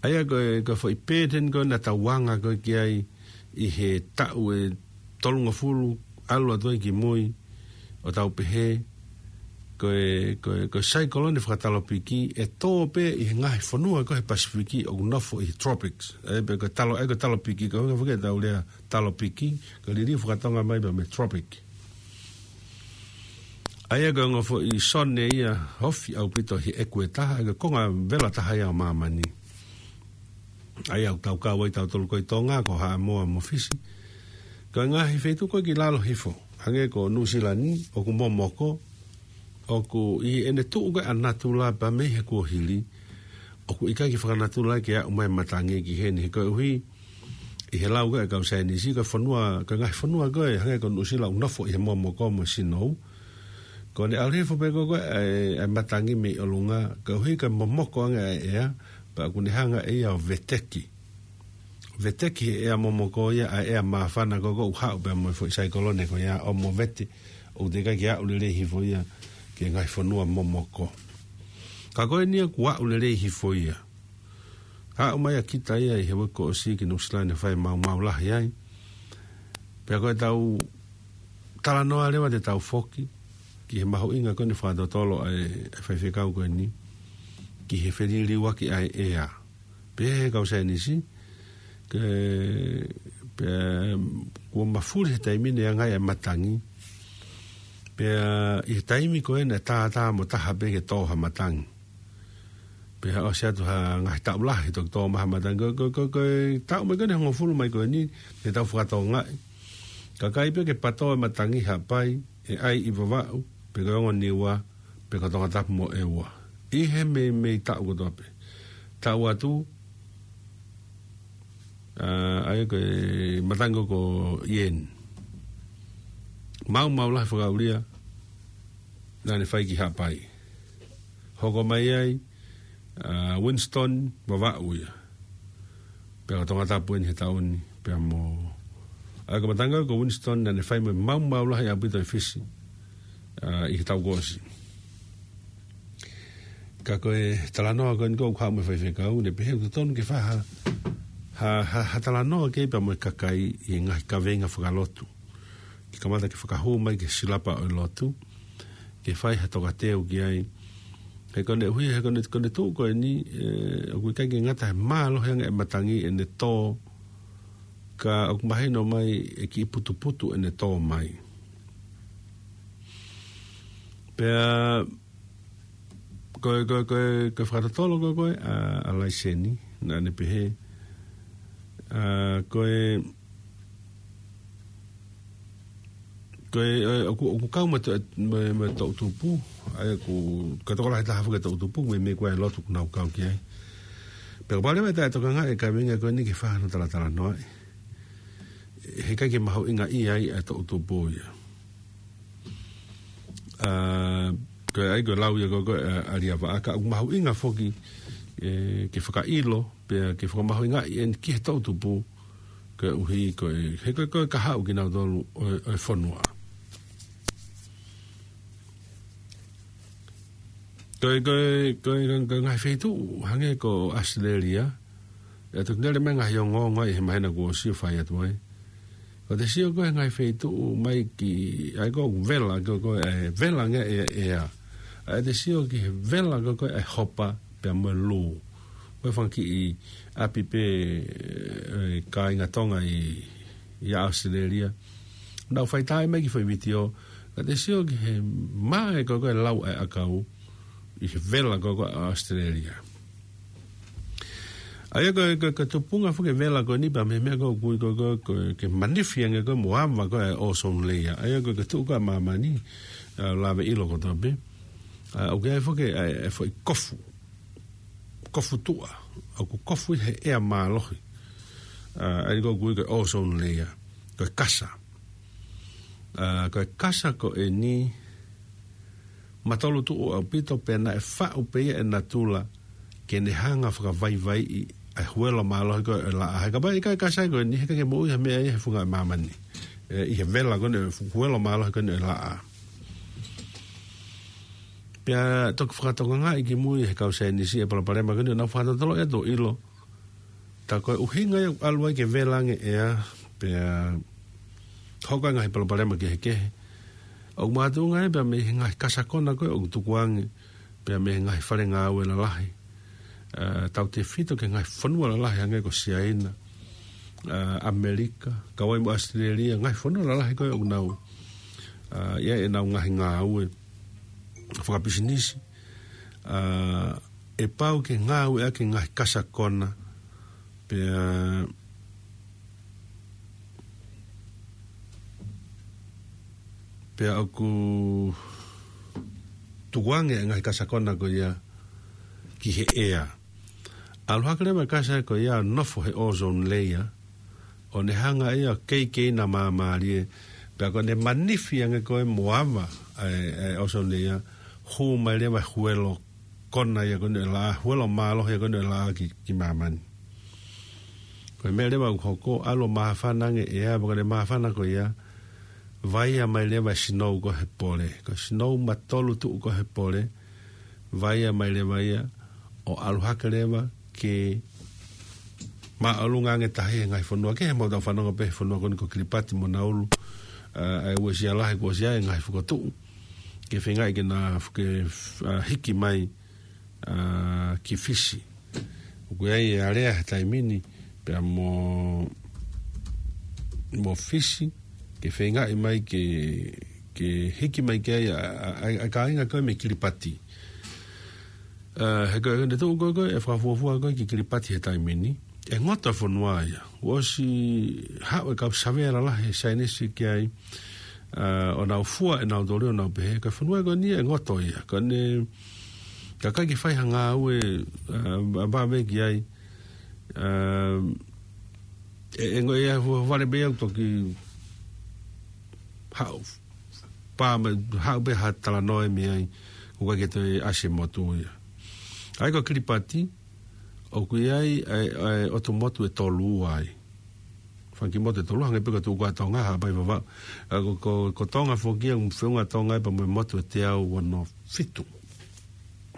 ʻA ia ko e, ko e foʻi pēteni ko ē naʻa tau anga ko ē ki ai ʻi he taʻu ʻe tolungofulu ʻalu atu ai ki mui, ʻo tau pehē, ko e, ko e, ko e saikolone fakatalopiki ʻe tō pē ʻi he ngaahi fonua ko ē he Pasifiki ʻoku nofo ʻi he tropics. ʻA ia pē ko e talo-, ʻa ia ko e talopiki, ko e ʻuhinga foki ʻetau lea talopiki, ko e liliu fakatonga mai pea mei he tropic. ʻA ia ko e ongo foʻi sone ia ofi ʻaupito he ʻekueta, ʻa ia ko e konga vela taha ia ʻo māmani. ʻA ia ʻoku tau kau ai tautolu ko ē ʻi Tonga, ko Haʻamoa mo Fisi. Ko e ngaahi feituʻu ko ē ki lalo hifo, hangē ko Nuʻusila ni, ʻoku momoko, ʻoku ʻi heʻene tuʻu ko ē ʻa natula pea mei he kuohili, ʻoku ʻikai ke fakanatula ke aʻu mai matangi ki heni he koeʻuhi, ʻi he lau ko ē ʻa e kau saienisi, ko e fonua, ko e ngaahi fonua ko ē, hangē ko Nuʻusila ʻoku nofo ʻi he momoko mo e sinou. Ko ʻene ʻalu hifo pē ko ē ko ē ʻa e, ʻa e matangi mei ʻolunga, koeʻuhi ko e momoko ange ʻa e ʻea, pea ʻoku ne hanga ʻe ia ʻo veteki. Veteki he ʻea momoko ia, ʻa e ʻea māfana ko ē ʻoku haʻu pea mo e foʻi saikolone ko ia ʻo movete, ʻoku teʻeki ai ke aʻu lelei hifo ia ki he ngaahi fonua momoko. Ka ko eni ia kuo aʻu lelei hifo ia. Aʻu mai ʻa kita ia ʻi he uike kuo ʻosi ki Nuʻusila ni ʻo fai maumau lahi ai. Pea ko ʻetau talanoa leva te tau foki ki he mahuʻinga ko eni fakatotolo ʻa e, ʻa e faifekau ko eni, ki he feliliuaki ʻa e ʻea. Pehē ʻe he kau saienisi, ke, pea, kuo mafuli he taimi ni ʻa e anga ʻa e matangi. Pea ʻi he taimi ko ē naʻe tātā mo taha pē ke tō ha matangi. Pea ʻosi atu ha ngaahi taʻu lahi toki tō mai ha matangi. Ko, ko, ko, ko e taʻu mai ko eni hongofulu mai ko eni, te tau fakatokangaʻi. Kakai pē ke patō e matangi Haʻapai, ʻe ʻai ʻi Vavaʻu, pe ko e ongo Niua, pe ko Tongatapu mo ʻEua. ʻI he meimei taʻu kotoa pē. Taʻu atu, ʻa, ʻa ia ko e matangi ko Ieni. Maumau lahi fakaʻulia, naʻa ne fai ki Haʻapai. Hoko mai ai, ʻa, Winston, Vavaʻu ia. Pea ko Tongatapu eni he taʻu ni, pea mo. ʻA ia ko e matangi ko Winston naʻa ne fai mo e maumau lahi ʻaupito ʻi Fisi, ʻa, ʻi he taʻu kuo ʻosi. Ka ko e talanoa ko eni ko ē ʻoku haʻu mei he faifekau, ne pehē ʻoku totonu ke fai ha, ha, ha, ha talanoa ki ai pea mo e kakai ʻi he ngaahi kaveinga fakalotu. Ke kamata ke fakahū mai ki he silapa ʻo e lotu, ke fai ha tokateu ki ai. He ko ʻene ʻuhi, he ko ʻene, ko ʻene tuʻu ko eni, ē, ʻoku ʻikai ke ngata he mālohi ange e matangi ʻene tō, ka ʻoku mahino mai ʻe kiʻi putuputu ʻene tō mai. Pea, ko e, ko e, ko e, ko e fakatotolo ko ē ko ē ʻa, ʻa Laiseni, naʻa ne pehē, ʻa, ko e, Ko e, ʻoku, ʻoku kau mo e to-, mo e, mo e toʻutupu, ʻa ia ʻoku, ko e tokolahi taha foki e toʻutupu, meimei ko e lotu ʻoku nau kau ki ai. Pea kapau leva ʻe taʻetokangaʻi e kaveinga ko eni ke fai hano talatalanoaʻi, heʻikai ke mahuʻingaʻia ai e toʻutupu ia. ʻA, ko e ʻai ko e lau ia ko, ko e, ʻa, ʻa Liavaʻa, ka ʻoku mahuʻinga foki, ʻe, ke fakaʻilo, pea ke fakamahuʻingaʻi eni ki he toʻutupu, koeʻuhi ko e, he ko e, ko e kahaʻu kinautolu ʻo e, ʻo e fonua. Ko e, ko e, ko e, ko e, ko e ngaahi feituʻu, hangē ko ʻAositelēlia, ʻe toki lele mai ngaahi ongoongo ʻi he māhina kuo ʻosi ʻo fai atu ai. Ko ʻete sio ko e ngaahi feituʻu mai ki, ʻa ia ko e vela, ko, ko e vela ngaahi ʻea, ʻea. ʻA ia ʻete sio ki he vela ko, ko e hopa, pea mo e lū. Ko e fanga kiʻi ʻapi pē, ʻe, kāinga Tonga ʻi, ʻi ʻAositelēlia. Nau faitāʻi mai ki he foʻi vitiō, ka ʻete sio ki he mā e ko, ko e lau e ʻakau, ʻi he vela ko, ko ʻAositelēlia. ʻA ia ko, ko, ko e tupunga foki e vela ko eni pea mei he meʻa ko ē ʻoku ui ko, ko, ko e ke manifi ange ko e mo ava ko e ozone layer. ʻA ia ko, ko e tuʻu ko ē ʻa māmani, ʻa, lave ʻilo kotoa pē. ʻA, ʻoku ʻi ai foki e, e foʻi kofu. Kofu tuʻa. ʻOku kofu ʻi he ʻea mālohi. ʻA, ʻa ia ko ē ʻoku ui ko e ozone layer. Ko e kasa. ʻA, ko e kasa ko eni, matolu tuʻu ʻaupito pea naʻe faʻu pē ia ʻe natula ke ne hanga fakavaivaiʻi ʻa e huelo mālohi ko ē ʻo e laʻā. He kapau ʻe ʻikai e kasa ko eni, heʻikai ke moʻui ha meʻa ia he funga ʻo māmani. ʻE, ʻi he vela ko eni, huelo mālohi ko eni ʻo e laʻā. Pea toki fakatokangaʻi ki mui he kau saienisi e palopalema ko eni, ʻo nau fakatotoloʻi atu ʻo ʻilo. Tā ko e ʻuhinga ia ʻoku ʻalu ai ke vela ange e ʻea, pea hoko ai e ngaahi palopalema kehekehe. ʻOku makatuʻunga ia pea mei he ngaahi kasa kona ko ē ʻoku tukuange, pea mei he ngaahi fale ngāue lalahi. ʻA, tautefito ki he ngaahi fonua lalahi hangē ko Siaina, ʻa, ʻAmelika, kau ai mo ʻAositelēlia, ngaahi fonua lalahi ko ē ʻoku nau, ʻa, ʻi ai ʻenau ngaahi ngāue fakapisinisi. ʻA, ʻe pau ke ngāueʻaki e ngaahi kasa kona, pea, pea ʻoku tukuange e ngaahi kasa kona ko ia ki he ʻea. ʻAlu hake leva e kasa ko ia ʻo nofo he ozone layer, ʻo ne hanga ia ʻo keikei na māmālie, pea ko ʻene manifi ange ko ē mo ava ʻa e, ʻa e ozone layer, hū mai leva e huelo kona ia ko eni ʻo e laʻā, huelo mālohi ia ko eni ʻo e laʻā ki, ki māmani. Ko e meʻa leva ʻoku hoko, ʻalu ʻo māfana ange e ʻea, pea ko ʻene māfana ko ia, vaia mai leva e sinou ko ē he pole. Ko e sinou matolu tuʻu ko ē he pole, vaia mai leva ia, ʻo ʻalu hake leva ke māʻolunga ange tahi he ngaahi fonua kehe, he ʻoku mau tau fanongo pē he fonua ko eni ko Kilipati mo Naulu, ʻa, ʻa e uesia lahi kuo ʻosi ʻi ai e ngaahi fokotuʻu ke feingaʻi ke na, ke, ʻa, hiki mai, ʻa, ki Fisi. ʻOku ʻi ai e alea he taimi ni, pea mo, mo Fisi, ke feingaʻi mai ke, ke hiki mai ki ai ʻa, ʻa, ʻa, ʻa e kāinga ko ē mei Kilipati. ʻA, he ko e, ko ʻene tuʻu ko ē, ko ē, ʻe fakafuofua ko ē ki Kilipati he taimi ni. ʻE ngoto e fonua ia. Kuo ʻosi haʻu e kau savea lalahi he saienisi ki ai, ʻa, ʻo nau fua ʻenau toli ʻo nau pehē, ko e fonua ko eni ʻe ngoto ia. Ko ʻene, ka ʻikai ke fai ha ngāue, ʻa, ʻa, vave ki ai, ʻa, ʻe, ʻe ngoe ia, fu-, vale pē ia ʻoku toki haʻu, pā mai, haʻu pē ha talanoa mei ai, ʻoku ʻikai ke toe ʻasi e motu ia. ʻA ia ko Kilipati, ʻoku ʻi ai, ʻa e, ʻa e ʻotu motu ʻe tolu ai. Fanga kiʻi motu ʻe tolu, hangē pē ko e tuʻu ko ē ʻa Tonga, Haʻapai, Vavaʻu. ʻA, ko, ko, ko Tonga foki ia, ʻoku feʻunga Tonga ia pea mo e motu ʻe teau ono fitu.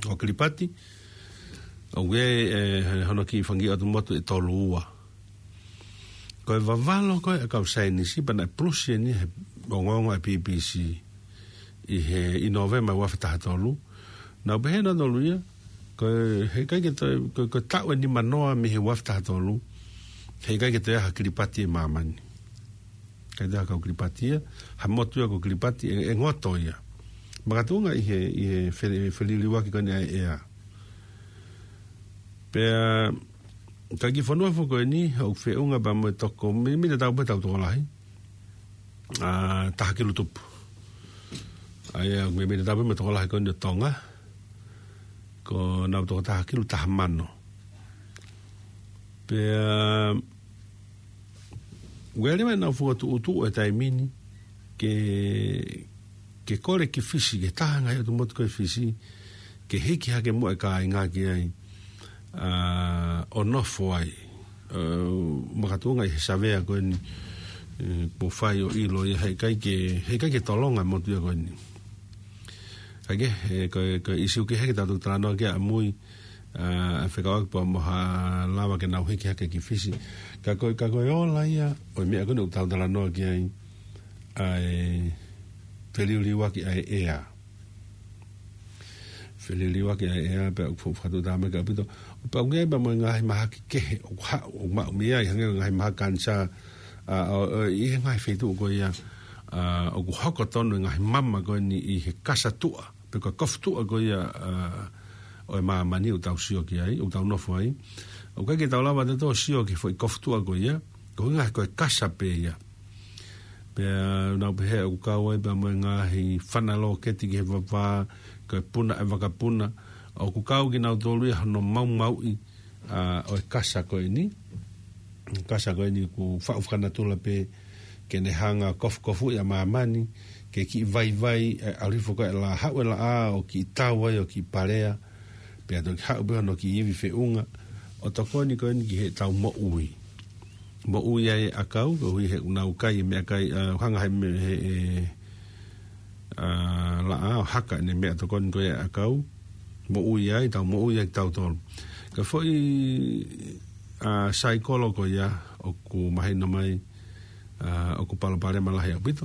Ko Kilipati, ʻoku ʻi ai, ʻe, hono kiʻi fanga kiʻi ʻotu motu ʻe tolu ua. Ko e vavalo ko ē ʻa e kau saienisi pea naʻe pulusi eni he ongoongo ʻa e B B C ʻi he, ʻi Nōvema ua afe taha tolu. Nau pehē nautolu ia, ko e, heʻikai ke toe, ko, ko e taʻu ʻe nimanoa mei he ua afe taha tolu, heʻikai ke toe ʻi ai ha Kilipati ʻi māmani. ʻIkai toe ʻi ai ha kau Kilipati ia, ha motu ia ko Kilipati, ʻe, ʻe ngoto ia. Makatuʻunga ʻi he, ʻi he fe-, feliliuaki ko eni ʻa e ʻea. Pea, ko e kiʻi fonua foki ko eni, ʻoku feʻunga pea mo e toko, mi-, mita tau pē tau tokolahi. ʻa, taha kilu tupu. ʻA ia, ʻoku meimei tatau pē mo e tokolahi ko eni ʻo Tonga, ko ʻenau toko taha kilu taha mano. Pea, ʻoku ʻi ai leva ʻenau fokotuʻutuʻu he taimi ni, ke, ke kole ki Fisi, ke taha ngaahi ʻotu motu ko ē Fisi, ke hiki hake muʻa e kāinga ki ai, ʻa, ʻo nofo ai. ʻA, makatuʻunga ʻi he savea ko eni, ʻe, kuo fai ʻo ʻilo ia heʻikai ke, heʻikai ke tolonga e motu ia ko eni. Kae kehe, ʻe, ko e, ko e ʻīsiu kehe ke tau talanoa ki ai ʻamui, ʻa, ʻa e fekauʻaki pea mo ha lava ke nau hiki hake ki Fisi. Ka ko e, ka ko e ola ia ʻo e meʻa ko eni ʻoku tau talanoa ki ai, ʻa e feliuliuaki ʻa e ʻea. Feliuliuaki ʻa e ʻea pea ʻoku fa-, fakatuʻutāmaki ʻaupito. Pea ʻoku ʻi ai pea mo e ngaahi mahaki kehe ʻoku haʻu, ʻoku maʻu mei ai, hangē ko e ngaahi mahaki kanisā, ʻa, ʻo, ʻo, ʻi he ngaahi feituʻu ko ia, ʻa, ʻoku hoko tonu e ngaahi mama ko eni ʻi he kasa tuʻa, pe ko e kofu tuʻa ko ia, ʻa, ʻo e māmani ʻoku tau sio ki ai, ʻoku tau nofo ai. ʻOku ʻikai ke tau lava ʻetautolu ʻo sio ki he foʻi kofu tuʻa ko ia, ko e ʻuhinga he ko e kasa pē ia. Pea nau pehē ʻoku kau ai pea mo e ngaahi fana lōketi ki he vavā, ko e puna ʻa e vakapuna, ʻoku kau kinautolu ia hono maumauʻi, ʻa, ʻo e kasa ko eni. Kasa ko eni ʻoku faʻu fakanatula pē ke ne hanga ʻo kofukofuʻi ʻa māmani, ke kiʻi vaivai, ʻe, ʻalu hifo ko ē e laʻā, haʻu e laʻā ʻo kiʻi tau ai ʻo kiʻi palea, pea toki haʻu pē hono kiʻi ivi feʻunga, ʻo tokoni ko eni ki heʻetau moʻui. Moʻui ai e ʻakau, koeʻuhi he ʻoku nau kai e meʻakai, ʻa, hanga he me-, he, ʻe, ʻa, laʻā ʻo haka ʻene meʻatokoni ko ia e ʻakau, moʻui ai, tau moʻui ai kitautolu. Ka ko e foʻi, ʻa, saikolo ko ia, ʻoku mahino mai, ʻa, ʻoku palopalema lahi ʻaupito.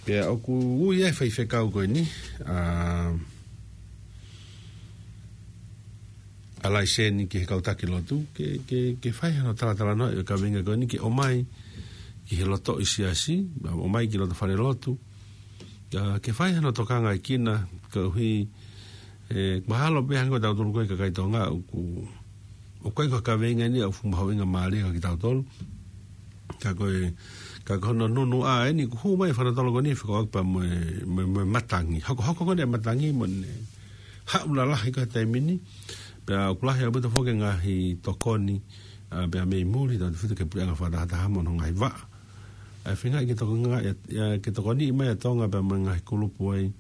Pea ʻoku ui ai e faifekau ko eni, ʻa, ʻa laiseni ki he kau taki lotu, ke, ke, ke fai hano talatalanoaʻi e kaveinga ko eni ke ʻomai ki he lotoʻi siasi, ʻomai ki loto fale lotu, ʻa, ke fai hano tokangaʻi kina, koeʻuhi, ʻe, mahalo pē hangē ko tautolu ko ē kakai Tonga, ʻoku, ʻoku ʻikai ko e kaveinga eni ʻoku fuʻu mahuʻinga mālie kia kitautolu. Ka ko e, ka ko hono nunuʻa eni, ʻoku hū mai e fakanatula ko eni, fekauʻaki pea mo e, mo e, mo e matangi. Hokohoko ko eni e matangi, mo ʻene haʻu lalahi ko ē he taimi ni. Pea ʻoku lahi ʻaupito foki e ngaahi tokoni, ʻa, pea mei muli, tautefito ki he puleʻanga fakatahataha mo hono ngaahi vaʻa. ʻA e feingaʻi ke tokonga, ʻe, ʻe, ke tokoniʻi mai ʻa Tonga pea mo e ngaahi kulupu ai,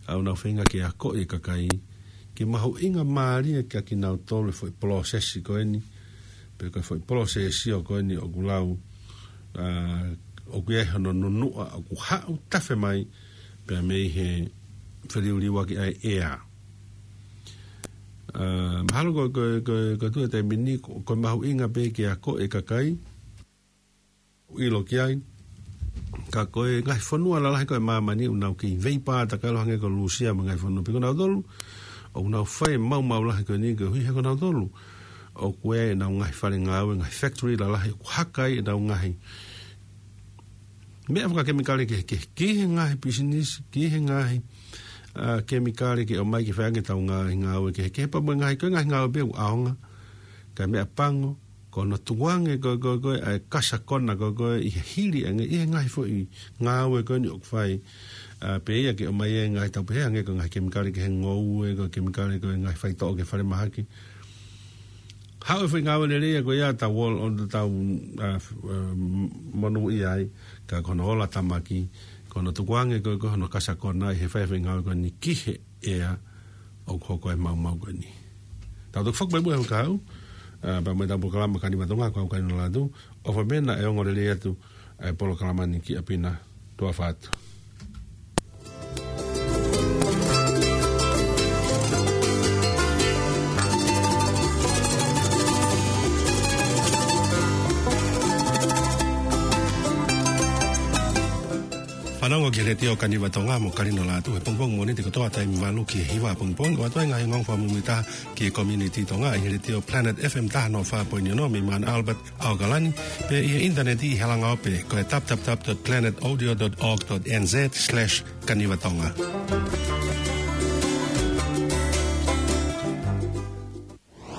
ʻa, ʻoku nau feinga ke akoʻi e kakai, ke mahuʻinga mālie kia kinautolu e foʻi polosesi ko eni, pe ko e foʻi polosesi ʻo ko eni ʻoku lau, ʻa, ʻoku ʻi ai hono nunuʻa ʻoku haʻu tafe mai, pea mei he feliuliuaki ʻa e ʻea. ʻA, mahalo ko, ko, ko, ko e tuʻu he taimi ni, ko, ko e mahuʻinga pē ke akoʻi e kakai, ʻilo ki ai. Ka ko e ngaahi fonua lalahi ko ē ʻa māmani ʻoku nau kei veipā takalo hangē ko Lūsia mo e ngaahi fonua pē ko nautolu, ʻoku nau fai e maumau lahi ko eni koeʻuhi he ko nautolu ʻoku ʻi ai ʻenau ngaahi fale ngāue, ngaahi factory lalahi, ʻoku haka ai ʻenau ngaahi meʻa fakakemikale kehekehe, ki he ngaahi pisinisi, ki he ngaahi, ʻa, kemikale ke ʻomai ke fai ange ʻetau ngaahi ngāue kehekehe, pea mo e ngaahi, ko e ngaahi ngāue pē ʻoku ʻaonga, ka meʻapango, ko hono tukuange ko, ko, ko, ʻa e kasa kona ko, ko, ʻi he hili ange, ʻi he ngaahi foʻi ngāue ko eni ʻoku fai, ʻa, pea ia ke ʻomai e ngaahi tau pehē ange ko e ngaahi kemikale ki he ngoue, ko e kemikale ko e ngaahi faitoʻo ki he falemahaki. Haʻu e foʻi ngāue lelei ia ko ia tau ol-, ʻo tau, ʻa, f-, ʻa, monūʻia ai, ka ko hono ola tamaki, ko hono tukuange ko, ko hono kasa kona ʻi he fai e foʻi ngāue ko eni ki he ʻea ʻoku hoko ai e maumau ko eni. Tau toki fakapaibu e hau kau, ʻa, pea mo ʻetau polokalama Kaniva Tonga, ko au Kaino Latu, ʻofa pē naʻe ongo lelei atu ʻa e polokalama ni ki ʻapi na, tuʻa ʻofa atu. Fanongo ki he Letiō Kaniva Tonga mo Kalino Latu he pongipongi Mōnite kotoa taimi valu ki he hiva pongipongi, ʻo ʻoatu ai e ngaahi ongoongo fakamuimuitaha ki he community Tonga ʻi he Letiō Planet F M taha noa fā poini ono mei Mount Albert, ʻAokalani, pea ʻi he ʻinitaneti ʻi he langaope ko e w w w dot planet audio dot org dot n z slash kaniva tonga.